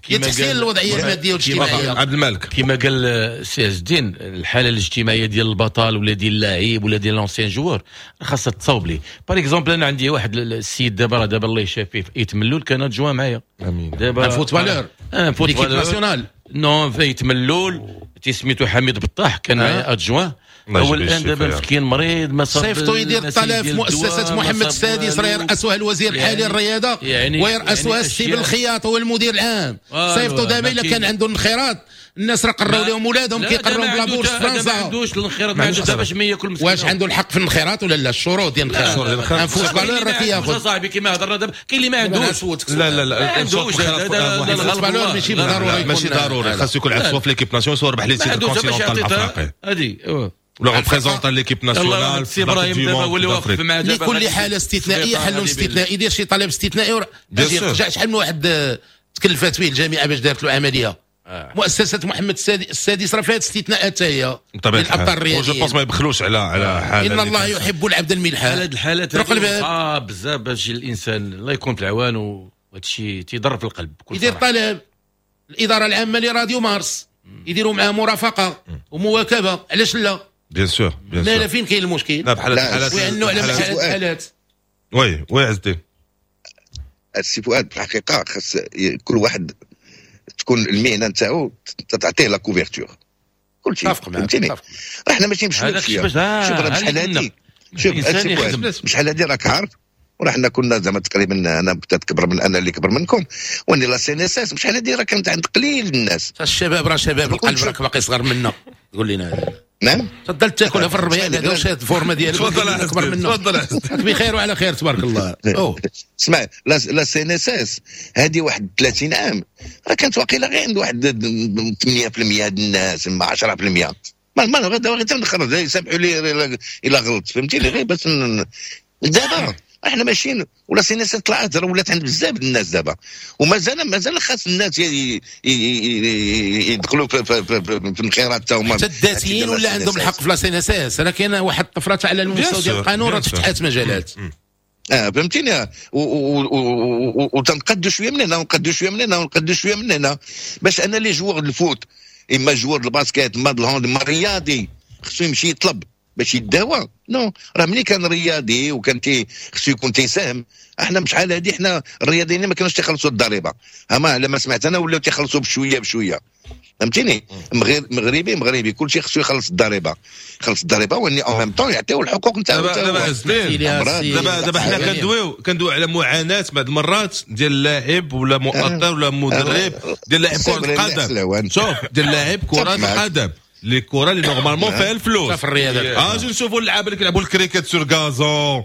ديال تحسين الوضعية المادية والاجتماعيه. عبد الملك، كما قال سي عز الدين، الحالة الاجتماعية ديال البطل ولا ديال اللاعب ولا ديال l'ancien joueur خاصها تصاوب ليه. par exemple انا عندي واحد السيد دابا راه دابا الله يشافيه في ايت ملول، كان adjoint معايا. امين. دابا un footballeur؟ un footballeur national؟ non، في ملول تيسميتو حميد بطاح، كان معايا adjoint. هو الان دابا مسكين مريض، ما صاب. صيفطو يدير الطلب في مؤسسة محمد السادس، راه يرأسها الوزير الحالي الرياضه، يعني ويرأسها يعني السي بالخياط هو المدير العام. صيفطو دابا الا كان عنده انخراط. الناس راه قراو لهم ولادهم، كيقراو ب la bourse فرنسا. ما عندوش الانخراط، ما عندوش باش ما ياكل مسكين. واش عنده الحق في الانخراط ولا لا؟ الشروط ديال الانخراط، un footballeur راه كياخذ. صاحبي، كما هضرنا دابا كاين اللي ما عندوش. لا لا لا، ما عندوش. footballeur ماشي بالضرورة. ماشي ضروري، خاص يكون عند soit في l'équipe nationale، soit ربح les titres continental الافريقي هذه ولا représente l'équipe nationale. سي ابراهيم دابا هو اللي واقف مع دابا. لكل حاله استثنائية حل استثنائي. دير شي طلب استثنائي. رجع شحال من واحد تكلفات به الجامعة باش دارت له عمليه. مؤسسة محمد السادس راه فيها استثناءات هي. بطبيعة الحال je pense ما يبخلوش على حاله. ان الله يحب العبد الملحان. هاد الحالات صعاب بزاف باش الانسان، الله يكون في العوان، وهذا الشيء تيضر في القلب. يدير طلب الادارة العامة لراديو مارس يديروا معاه مرافقة ومواكبه، علاش لا؟ bien sûr، bien sûr. لا، فين كاين المشكل؟ لا، بحال الحالات ويعنوا على الحالات. oui oui، عز الدين. السي فؤاد، في الحقيقة خاص كل واحد تكون المهنة نتاعو تعطيه la couverture، كل شيء، فهمتيني؟ راه حنا ماشي مشكل. شوف، راه شحال هادي، شوف السي فؤاد، شحال هادي راك عارف، وراه حنا كنا زعما تقريبا انا كبر من انا اللي كبر منكم، واني la CNSS شحال هادي راه كانت عند قليل الناس. الشباب راه شباب القلب، راك باقي صغر منا، تقول لنا هذا. نعم. تفضل تاكلها في الربيع هذا وشاد ال forme ديالك. تفضل. اكبر منه. تفضل. بخير وعلى خير، تبارك الله. أوه. اسمع، la CNSS هذه واحد 30 عام راه كانت واقيلا غير عند واحد 8% ديال الناس، ما 10%، ما غير تنخرج، يسامحوا لي الا غلط، فهمتيني؟ غير بس دابا احنا ماشيين و la CNSS طلعت، راه ولات عند بزاف الناس دابا، ومازال مازال خاص الناس يدخلوا في الانخراط حتى هما. حتى الذاتيين ولا عندهم الحق في la CNSS. راه كاينه واحد الطفرة على المستوى ديال القانون، راه تفتحات مجالات. فهمتيني؟ وتنقدوا شوية من هنا ونقدوا شوية من هنا ونقدوا شوية من هنا باش انا les joueurs ال foot، اما joueur ال basket، اما ال hand، اما الرياضي خصو يمشي يطلب باش يداوى. non، راه ملي كان رياضي وكان تي خصو يكون تيساهم. احنا شحال هادي احنا الرياضيين ما كانوش تيخلصوا الضريبه، اما على ما سمعت انا ولاو تيخلصوا بشوية بشويه، فهمتيني؟ مغربي مغربي كلشي خصو يخلص الضريبه، يخلص الضريبة واني en même temps يعطيو الحقوق نتاعو. دابا دابا حنا كندويو على معاناة بعض المرات ديال اللاعب ولا مؤطر ولا مدرب ديال لاعب كره القدم. شوف، ديال لاعب كره القدم، les كره اللي normalement فيها الفلوس. في الرياضه. اجي نشوفوا اللعابه اللي كيلعبوا ال cricket sur gazon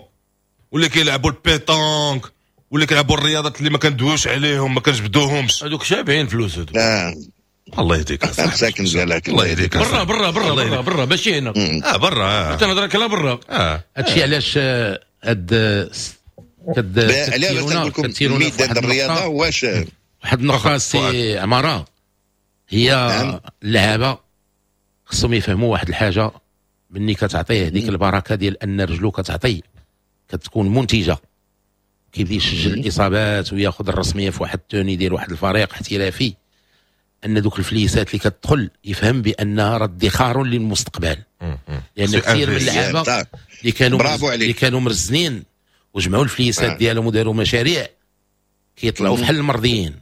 واللي كيلعبوا ال pétanque. واللي كيلعبوا الرياضات اللي ما كندويوش عليهم، ما كنجبدوهمش. هذوك شابعين فلوس هذوك. الله يهديك. مساكن ديالك. الله يهديك. برا برا برا برا برا ماشي هنا. برا. تنهضر لك على برا. هادشي علاش هاد علاش نقول لكم الميدان الرياضة واش واحد النقطة سي عمارة، هي اللعابه خصهم يفهموا واحد الحاجة، مني كتعطيه ديك البركة ديال ان رجلو كتعطي كتكون منتجه، كيبدا يسجل الاصابات وياخذ الرسمية في واحد ال tenue ديال واحد الفريق احترافي، ان دوك الفليسات اللي كتدخل يفهم بانها راه ادخار للمستقبل. لان كثير من اللعابه اللي كانوا مرزنين وجمعوا الفليسات ديالهم وداروا مشاريع كيطلعوا بحال المرضيين.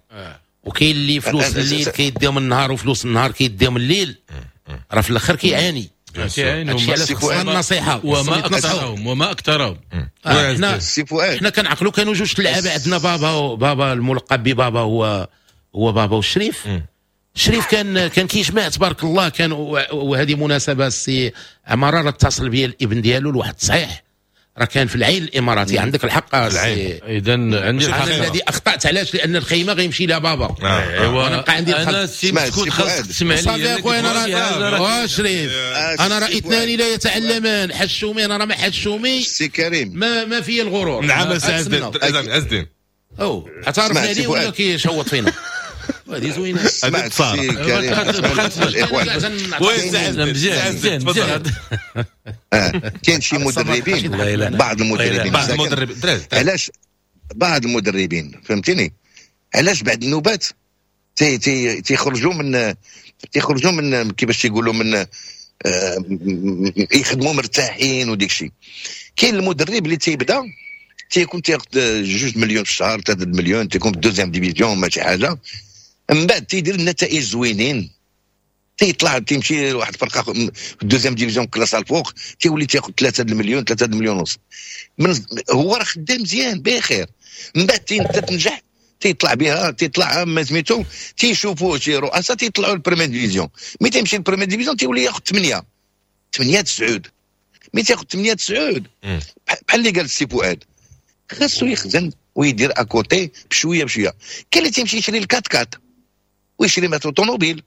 وكاين اللي فلوس الليل كيديهم النهار وفلوس النهار كيديهم الليل، راه في الاخر كيعاني. هادشي علاش خصنا النصيحة. وما اكثرهم وما اكثرهم. حنا كنعقلوا كانوا جوج اللعابه عندنا، بابا الملقب ببابا هو بابا والشريف. الشريف كان كيجمع تبارك الله، كان وهذه مناسبة السي عمارة راه اتصل بيا الابن ديالو لواحد التصحيح، راه كان في العين الاماراتي. عندك الحق اذا عندي الحق. انا الذي اخطات علاش؟ لان الخيمة غيمشي لها بابا. ايوا انا بقى عندي انا سي مسكوت خاصك تسمع لي. صافي اخويا انا راه شريف، انا راه اثنان لا يتعلمان، حشومي انا راه ما حشومي سي كريم، ما فيه الغرور. نعم سي عز الدين او اعترفنا ليه ولا كيشوط فينا؟ هذه زوينة. سمعت سي كريم مزيان مزيان. كاين شي مدربين، بعض المدربين علاش بعض المدربين فهمتيني علاش بعد النوبات تيخرجوا من كيفاش تيقولوا من يخدموا مرتاحين وديك الشيء. كاين المدرب اللي تيبدا تيكون تياخذ 2 مليون في الشهر، 3 مليون، تيكون في deuxième division ماشي حاجة، من بعد تيدير النتائج زوينين، تيطلع تيمشي لواحد الفرقة في ال deuxième division classe الفوق، تيولي تياخذ 3 المليون 3 المليون ونص. من هو راه خدام مزيان بخير، من بعد تنجح تيطلع بها، تيطلع ما سميتو، تيشوفوه شي رؤساء تيطلعوا لل première division. mais تيمشي لل première division تيولي ياخذ 8 8 9. mais تياخذ 8 9 بحال اللي قال السي فؤاد، خاصو يخزن ويدير à côté بشوية بشوية. كاين اللي تيمشي يشري ال quatre-quatre ويشري مثلا طوموبيل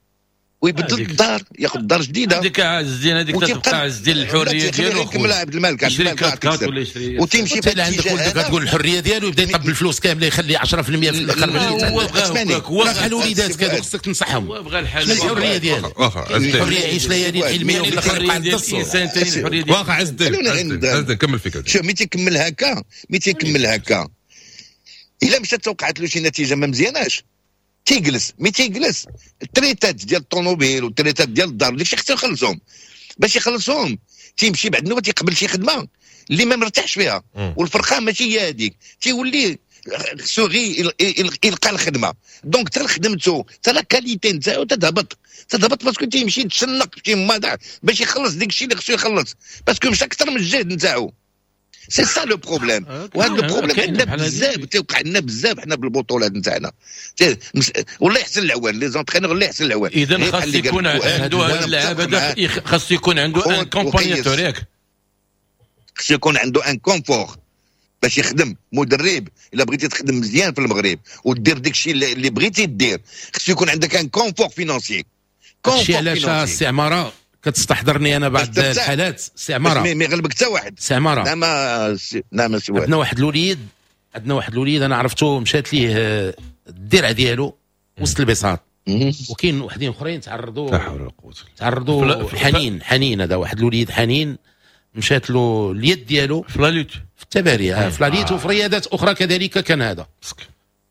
ويبدل الدار، ياخذ دار جديدة. هذيك عز الدين، هذيك تبقى عز الدين الحرية ديالو. كمل عبد الملك، يشري quatre-quatre ولا يشري وتمشي في عندك ولدك تقول الحرية ديالو يبدا يطب الفلوس كاملة، يخلي 10% في الاخر باش بحال الوليدات كادو خصك تنصحهم. بغى الحل الحرية ديالو، الحرية يعيش ليالي الحلميه وفي الاخر يبقى عند الانسان. واخا عز الدين، عز الدين كمل فكرتك. شوف ملي تيكمل هكا، ملي تيكمل هكا الا مشات توقعت له شي نتيجة ما مزياناش تيجلس. mais تيجلس التريتات ديال الطوموبيل والتريتات ديال الدار وداكشي خصو يخلصهم. باش يخلصهم تيمشي بعد النوبة تيقبل شي خدمة اللي ما مرتاحش فيها، والفرقة ماشي هي هذيك، تيولي خصو غير يلقى الخدمة. donc حتى خدمته حتى la qualité نتاعو تتهبط parce que تيمشي يتشنق شي ماضع باش يخلص داك الشيء اللي خصو يخلص، parce que مشى اكثر من الجهد نتاعو. c'est ça le problème. وهذا le problème عندنا بزاف، تيوقع لنا بزاف حنا بالبطولات نتاعنا. والله يحسن العوان les entraîneurs، الله يحسن العوان. اذا خاص يكون عنده هذا اللاعب هذا، خاص يكون عنده un accompagnateur، ياك خاص يكون عنده un confort باش يخدم مدرب. الا بغيتي تخدم مزيان في المغرب ودير داك الشيء اللي بغيتي دير، خاص يكون عندك un confort financier. هادشي علاش السي عمارة كتستحضرني انا بعض الحالات. سي عمارة ما يغلبك حتى واحد. سي عمارة نعم سي واحد. عندنا واحد الوليد انا عرفته مشات ليه الدرع ديالو وسط البساط، وكاين وحدين اخرين تعرضوا حنين. هذا واحد الوليد حنين مشات له اليد ديالو في la lutte، في التباري، في la lutte وفي رياضات اخرى كذلك كان هذا.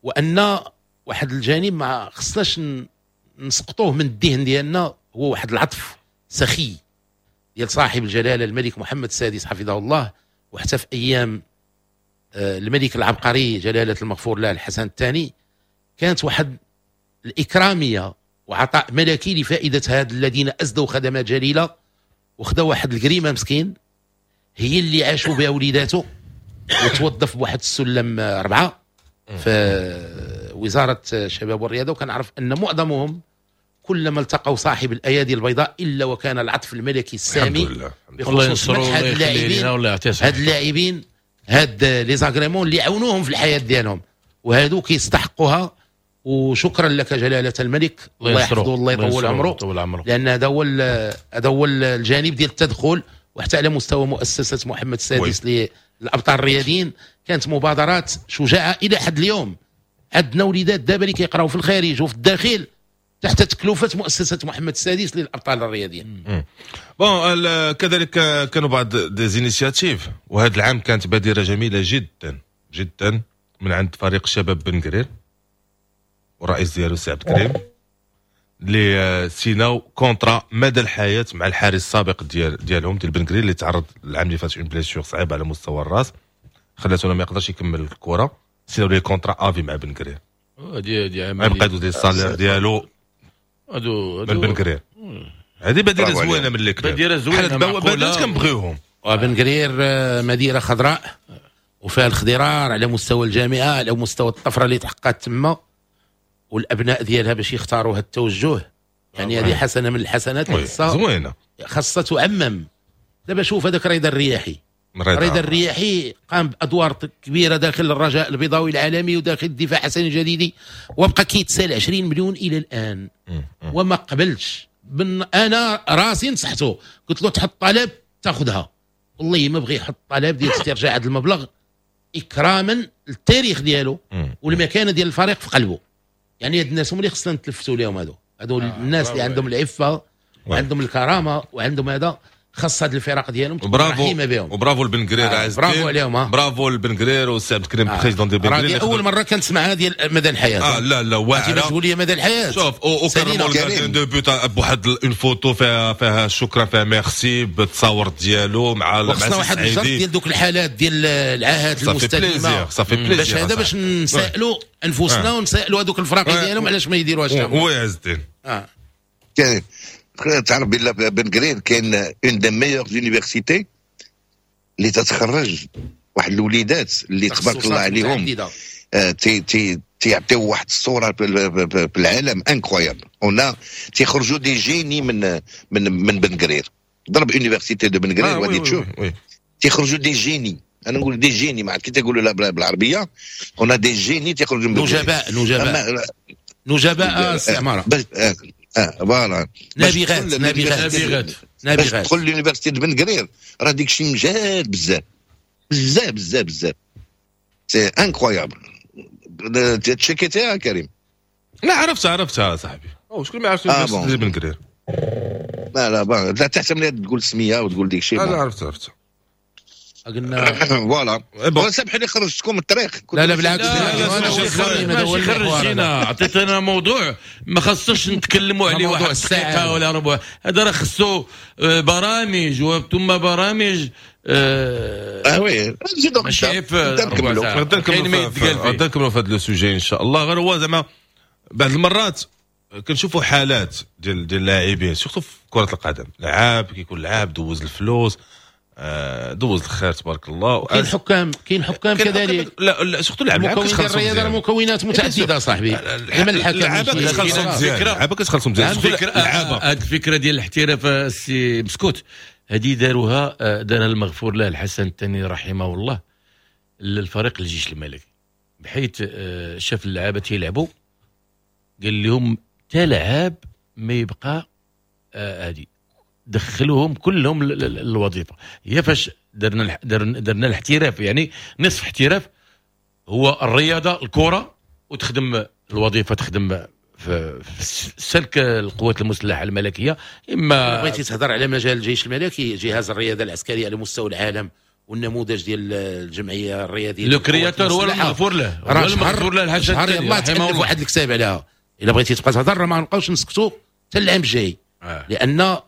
وان واحد الجانب ما خصناش نسقطوه من الذهن ديالنا هو واحد العطف سخي ديال صاحب الجلاله الملك محمد السادس حفظه الله، وحتى في ايام الملك العبقري جلاله المغفور له الحسن الثاني، كانت واحد الاكراميه وعطاء ملكي لفائدة هاد الذين اسدوا خدمات جليلة، وخدا واحد الكريمة مسكين هي اللي عاشوا بها وليداته، وتوظف بواحد السلم 4 في وزارة الشباب والرياضة. وكنعرف ان معظمهم كلما التقوا صاحب الايادي البيضاء الا وكان العطف الملكي السامي. الله ينصرو هاد اللاعبين، هاد اللاعبين هاد les agréments اللي عاونوهم في الحياة ديالهم، وهادو كيستحقوها. وشكرا لك جلاله الملك، الله يحفظه الله يطول عمره، لان هذا هو هذا هو الجانب ديال التدخل. وحتى على مستوى مؤسسة محمد السادس للابطال الرياضيين كانت مبادرات شجاعة الى حد اليوم. عندنا وليدات دابا اللي كيقراو في الخارج وفي الداخل تحت تكلفة مؤسسة محمد السادس للابطال الرياضيين. bon، كذلك كانوا بعض des initiatives، وهذا العام كانت بادره جميلة جدا جدا من عند فريق شباب بن قرير والرئيس ديالو سي عبد الكريم، اللي سيناو contrat مدى الحياة مع الحارس السابق ديالهم ديال بن قرير، اللي تعرض العام اللي فات une blessure صعيبة على مستوى الراس خلاته ما يقدرش يكمل الكره. سيناو ليه contrat à vie مع بن قرير، هادي يبقى يدوز ال salaire ديالو هادو من بن قرير. هذه بادره زوينة من les clubs، بادره زوينة، بادرات كنبغيوهم. وبن قرير مدينة خضراء وفيها الخضرار على مستوى الجامعة، على مستوى الطفرة اللي تحققت تما والابناء ديالها باش يختاروا هذا التوجه. يعني هذه حسنه من الحسنات اللي زوينة خاصها تعمم. دابا شوف هذاك رضا الرياحي، رضا الرياحي قام بادوار كبيرة داخل الرجاء البيضاوي العالمي وداخل الدفاع حسن الجديدي، وبقى كيتسال 20 مليون الى الان وما قبلش. انا راسي نصحته، قلت له تحط طلب تاخذها، والله ما بغى يحط طلب ديال استرجاع هذا المبلغ اكراما للتاريخ ديالو والمكانة ديال الفريق في قلبه. يعني هاد الناس هما اللي خصنا نتلفتوا لهم، هادو الناس اللي عندهم العفة وعندهم الكرامة وعندهم هذا، خاص هاد الفرق ديالهم تكون رحيمه بهم. وبرافو لبن قرير عز الدين، برافو عليهم، برافو لبن قرير والسي عبد الكريم président ديال بن قرير. اول مرة كنسمعها ديال مدى الحياة. لا لا واعرة، تقول لي مدى الحياة. شوف وكرموا ال gardien de but بواحد une photo فيها شكرا، فيها ميرسي بالتصاور ديالو مع خصنا واحد الجرد ديال دوك الحالات ديال العاهات المستديمه، باش هذا باش نسالوا انفسنا ونسالوا هذوك الفراقي ديالهم علاش ما يديروهاش. oui عز الدين تعرف بالله بن قرير كاين une des meilleures universités اللي تتخرج واحد الوليدات اللي تبارك الله عليهم تيعطيو واحد الصورة في العالم incroyable. هنا تيخرجوا des génies من من من بن قرير. ضرب université de بن قرير وغادي تشوف تيخرجوا des génies. انا نقول des génies، ما عرفت كي تقولوا لا بالعربية. هنا des génies تيخرجوا من نجباء نجباء نجباء السي voilà، نابغات نابغات نابغات. تدخل l'université بن قرير راه ديك الشيء مجهد بزاف بزاف بزاف بزاف، c'est incroyable. تشيكيتيها كريم؟ لا عرفتها صاحبي. او شكون ما عرفتش l'université بن قرير؟ لا لا لا تحسب لي تقول سميه وتقول ديك الشيء. لا عرفتها قلنا voilà. سامح لي خرجتكم من الطريق. لا لا بالعكس، ماشي خرجتينا، عطيتنا موضوع ما خصناش نتكلموا عليه واحد الدقيقة ولا ربع. هذا راه خصو برامج وثم برامج. oui نزيدو ماشي غدا نكملوا في هذا le sujet ان شاء الله. غير هو زعما بعض المرات كنشوفوا حالات ديال اللاعبين surtout في كره القدم، لعاب كيكون لعاب دوز الفلوس، دوز الخير تبارك الله. كاين حكام، كاين حكام كذلك. لا لا surtout اللعابه كتخلصوا. الرياضة مكونات متعددة صاحبي. لما الحكم كتخلصوا مزيان، اللعابه كتخلصوا مزيان. هذه الفكرة ديال الاحتراف السي مسكوت هذه داروها، دارها المغفور له الحسن الثاني رحمه الله للفريق الجيش الملكي، بحيث شاف اللعابه تيلعبوا قال لهم تا لعاب ما يبقى هذه، دخلوهم كلهم الوظيفة. هي فاش درنا الاحتراف، يعني نصف احتراف هو الرياضة الكره، وتخدم الوظيفة، تخدم في سلك القوات المسلحة الملكية. اما بغيتي تهضر على مجال الجيش الملكي، جهاز الرياضة العسكرية على مستوى العالم والنموذج ديال الجمعية الرياضية، le créateur هو المغفور له، هو المغفور له الحاج الثاني. يلاه تالف واحد الكتاب عليها. الا بغيتي تبقى تهضر ما نبقاوش نسكتوا حتى العام الجاي، لان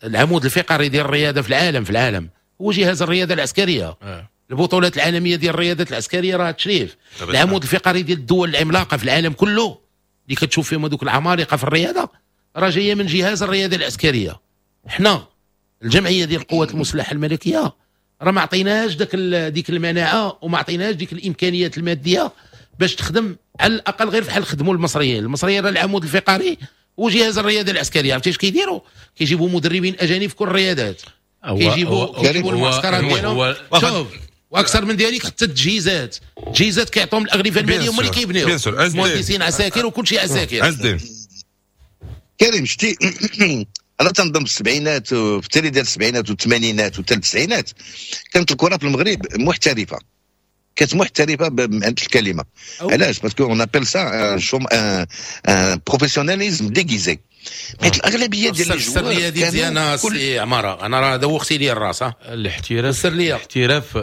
العمود الفقري ديال الرياضة في العالم هو جهاز الرياضة العسكرية. البطولات العالمية ديال الرياضات العسكرية راه تشريف. العمود الفقري ديال الدول العملاقة في العالم كله اللي كتشوف فيهم هذوك العمالقة في الرياضة راه جاية من جهاز الرياضة العسكرية. حنا الجمعية ديال القوات المسلحة الملكية راه ما عطيناش ديك المناعة وما عطيناش ديك الامكانيات المادية باش تخدم على الاقل غير بحال خدموا المصريين. المصريين راه العمود الفقري وجهاز الرياضة العسكرية. عرفتي اش كيديروا؟ كيجيبوا مدربين اجانب في كل الرياضات، كيجيبوا المعسكرات ديالهم. شوف واكثر من ذلك حتى التجهيزات، التجهيزات كيعطوهم الاغلفه المالية هما اللي كيبنيو، مهندسين عساكر وكل شيء عساكر. عز الدين كريم شتي انا تنظن في السبعينات، في التالي ديال السبعينات والثمانينات وحتى التسعينات كانت الكره في المغرب محترفه، كانت محترفه بمعنى الكلمة. علاش؟ parce qu'on appelle ça un professionnalisme déguisé، حيت الاغلبية ديال les joueurs. السرية دي مزيانه سي عمارة، انا راه دوختي لي الراس. الاحتراف، الاحتراف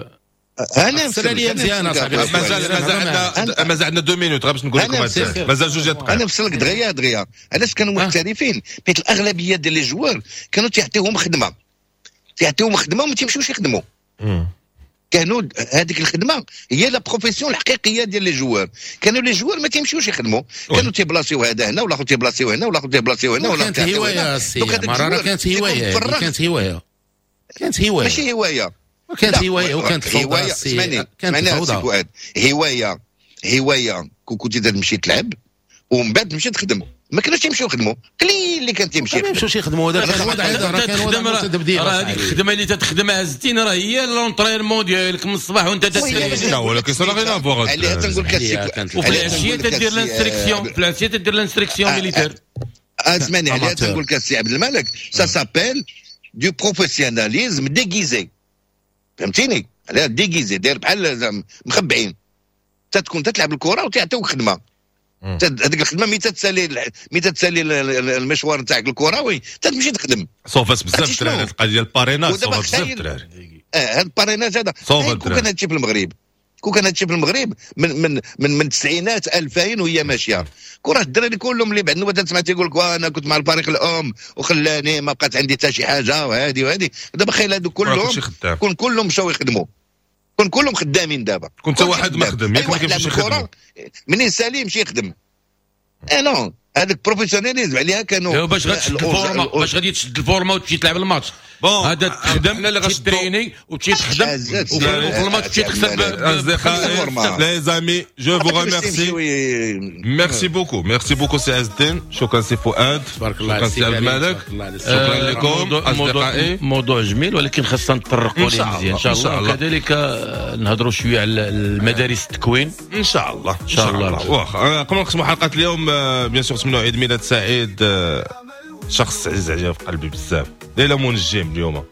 انا السرية مزيانه صاحبي. مازال مازال عندنا 2 minutes غير باش نقول لكم، مازال جوج دقائق. انا نفسر لك دغيا دغيا علاش كانوا محترفين، حيت الاغلبية ديال les joueurs كانوا تيعطيوهم خدمة، تيعطيوهم خدمة وما تيمشيوش يخدموا. كانوا هذيك الخدمة هي la profession الحقيقية ديال les joueurs. كانوا les joueurs ما تيمشيوش يخدموا، كانوا تيبلاصيو هذا هنا ولا تيبلاصيو هنا ولا تيبلاصيو هنا ولا كانت هواية. كانت هواية، كانت هواية، كانت هواية، ماشي هواية، كانت هواية وكانت فوضى. كانت فوضى. هواية هواية كنتي تمشي تلعب ومن بعد تمشي تخدم. ما كانوش تيمشيو يخدموا، قليل اللي كان تيمشي. ما يمشوش يخدموا، هذا كان وضع، هذا كان وضع تبديل. راه هذيك الخدمة اللي تتخدمها عزتين راه هي l'entraînement ديالك من الصباح وانت تتسالي. لا ولكن ça n'a rien à voir. عليها تنقول لك وفي العشية تدير l'instruction، في العشية تدير l'instruction militaire. اسمعني، عليها تنقول لك السي عبد الملك ça s'appelle du professionnalisme déguisé، فهمتيني؟ عليها déguisé، داير بحال مخبعين. تتكون تتلعب الكره وتعطيوك خدمة، هذيك الخدمة ملي تتسالي المشوار نتاعك الكروي تتمشي تخدم. صوفات بزاف الدراري القضية ديال ال parrainage، صوفات بزاف الدراري. هذا ال parrainage هذا كون كان هادشي في المغرب، كون كان هادشي في المغرب من من من من التسعينات 2000 وهي ماشية، كون راه الدراري كلهم اللي بعد نوبه تسمع تيقول لك انا كنت مع الفريق الام وخلاني ما بقات عندي حتى شي حاجة وهذه وهذه. دابا خيل هادو كلهم كون كلهم مشاو يخدموا، كون كلهم خدامين دابا. كنت واحد ما خدم، ياك ما كيمشيش يخدم منين سالي يمشي يخدم. non هذاك professionnalisme عليها كانوا. باش غتشد الفورما، باش غادي تشد الفورما وتمشي تلعب الماتش. هذا تخدم تريني وتمشي تخدم وفي الماتش تمشي تخسر. les amis je vous remercie، merci beaucoup، merci beaucoup سي عز الدين، شكرا سي فؤاد، تبارك الله، شكرا سي عبد الملك، شكرا لكم اصدقائي. موضوع جميل ولكن خاصنا نتطرقوا ليه مزيان ان شاء الله، وكذلك نهضروا شوية على المدارس التكوين ان شاء الله. ان شاء الله. واخا قبل نختموا حلقة اليوم bien sûr نتمنوا عيد ميلاد سعيد شخص عزيز عليا في قلبي بزاف، ليلى منجم اليوم.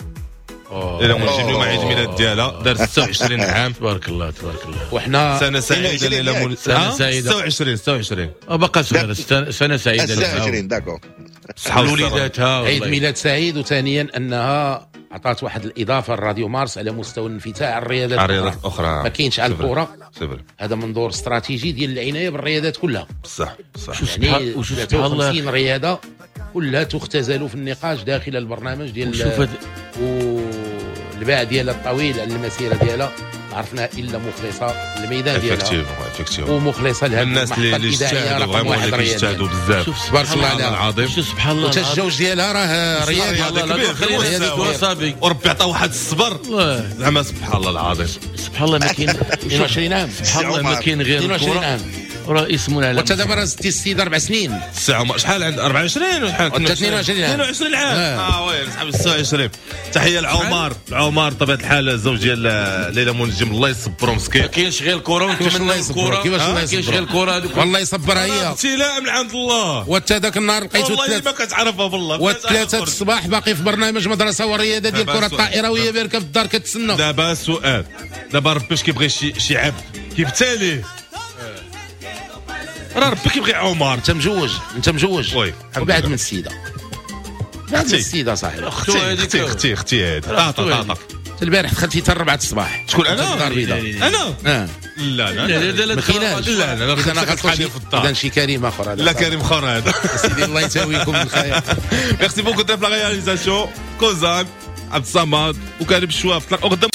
ليلى منجم اليوم عيد ميلاد ديالها، دار 26 عام. تبارك الله تبارك الله. وحنا سنة سعيدة ليلى منجم، سنة سعيدة. 26 باقا صغيرة، سنة سعيدة 26 d'accord. وليداتها عيد ميلاد سعيد. وثانيا انها عطات واحد الاضافة لراديو مارس على مستوى الانفتاح على الرياضات الاخرى، ما كاينش على الكره. هذا منظور استراتيجي ديال العناية بالرياضات كلها. بصح بصح، يعني 53 رياضة كلها تختزل في النقاش داخل البرنامج ديال والباع ديالها الطويل على المسيرة ديالها عرفنا الا مخلصة للميدان ديالها ومخلصه لهاد الناس اللي اجتهدوا vraiment اللي كيجتهدوا بزاف. تبارك الله عليها العظيم. سبحان الله. وحتى الزوج ديالها راه رياضي كبير، وربي عطاه واحد الصبر زعما سبحان الله العظيم. سبحان الله ما كاين 22 عام، سبحان الله ما كاين غير 22 عام راه اسم على. وانت دابا راه زدتي السيد 4 سنين. الساعة شحال عند 24 ولا شحال؟ 22 عام. 22 عام. oui صحاب 26. تحية لعمر، عمر بطبيعة الحال الزوج ديال ليلى منجم، الله يصبرو مسكين. ما كاينش غير الكره ونتمنى الكره. كيفاش الله يصبر؟ كاينش غير الكره هذوك. والله يصبرها هي. ابتلاء من عند الله. وانت ذاك النهار لقيتو والله ما كتعرفها بالله. والثلاثة الصباح باقي في برنامج مدرسه ورياضة ديال الكره الطائرة وهي باركه في الدار كتسنى. دابا السؤال، دابا ربي اش كيبغي شي عبد كيبتاليه؟ راه ربي كيبغي عمر. انت مجوج، انت مجوج وبعد من السيدة، بعد من السيدة صاحبي. اختي اختي اختي هادي طاطا طاطا. البارح دخلتي حتى 4 الصباح. شكون انا؟ انا؟ لا لا لا لا لا لا لا لا في الدار. اذا شي كريم اخر هذا. لا كريم اخر هذا. سيدي الله يساويكم بالخير. merci beaucoup في la réalisation كوزان عبد الصمد وكريم الشواف. تلاقوا غدا.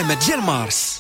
العلماء ديال مارس.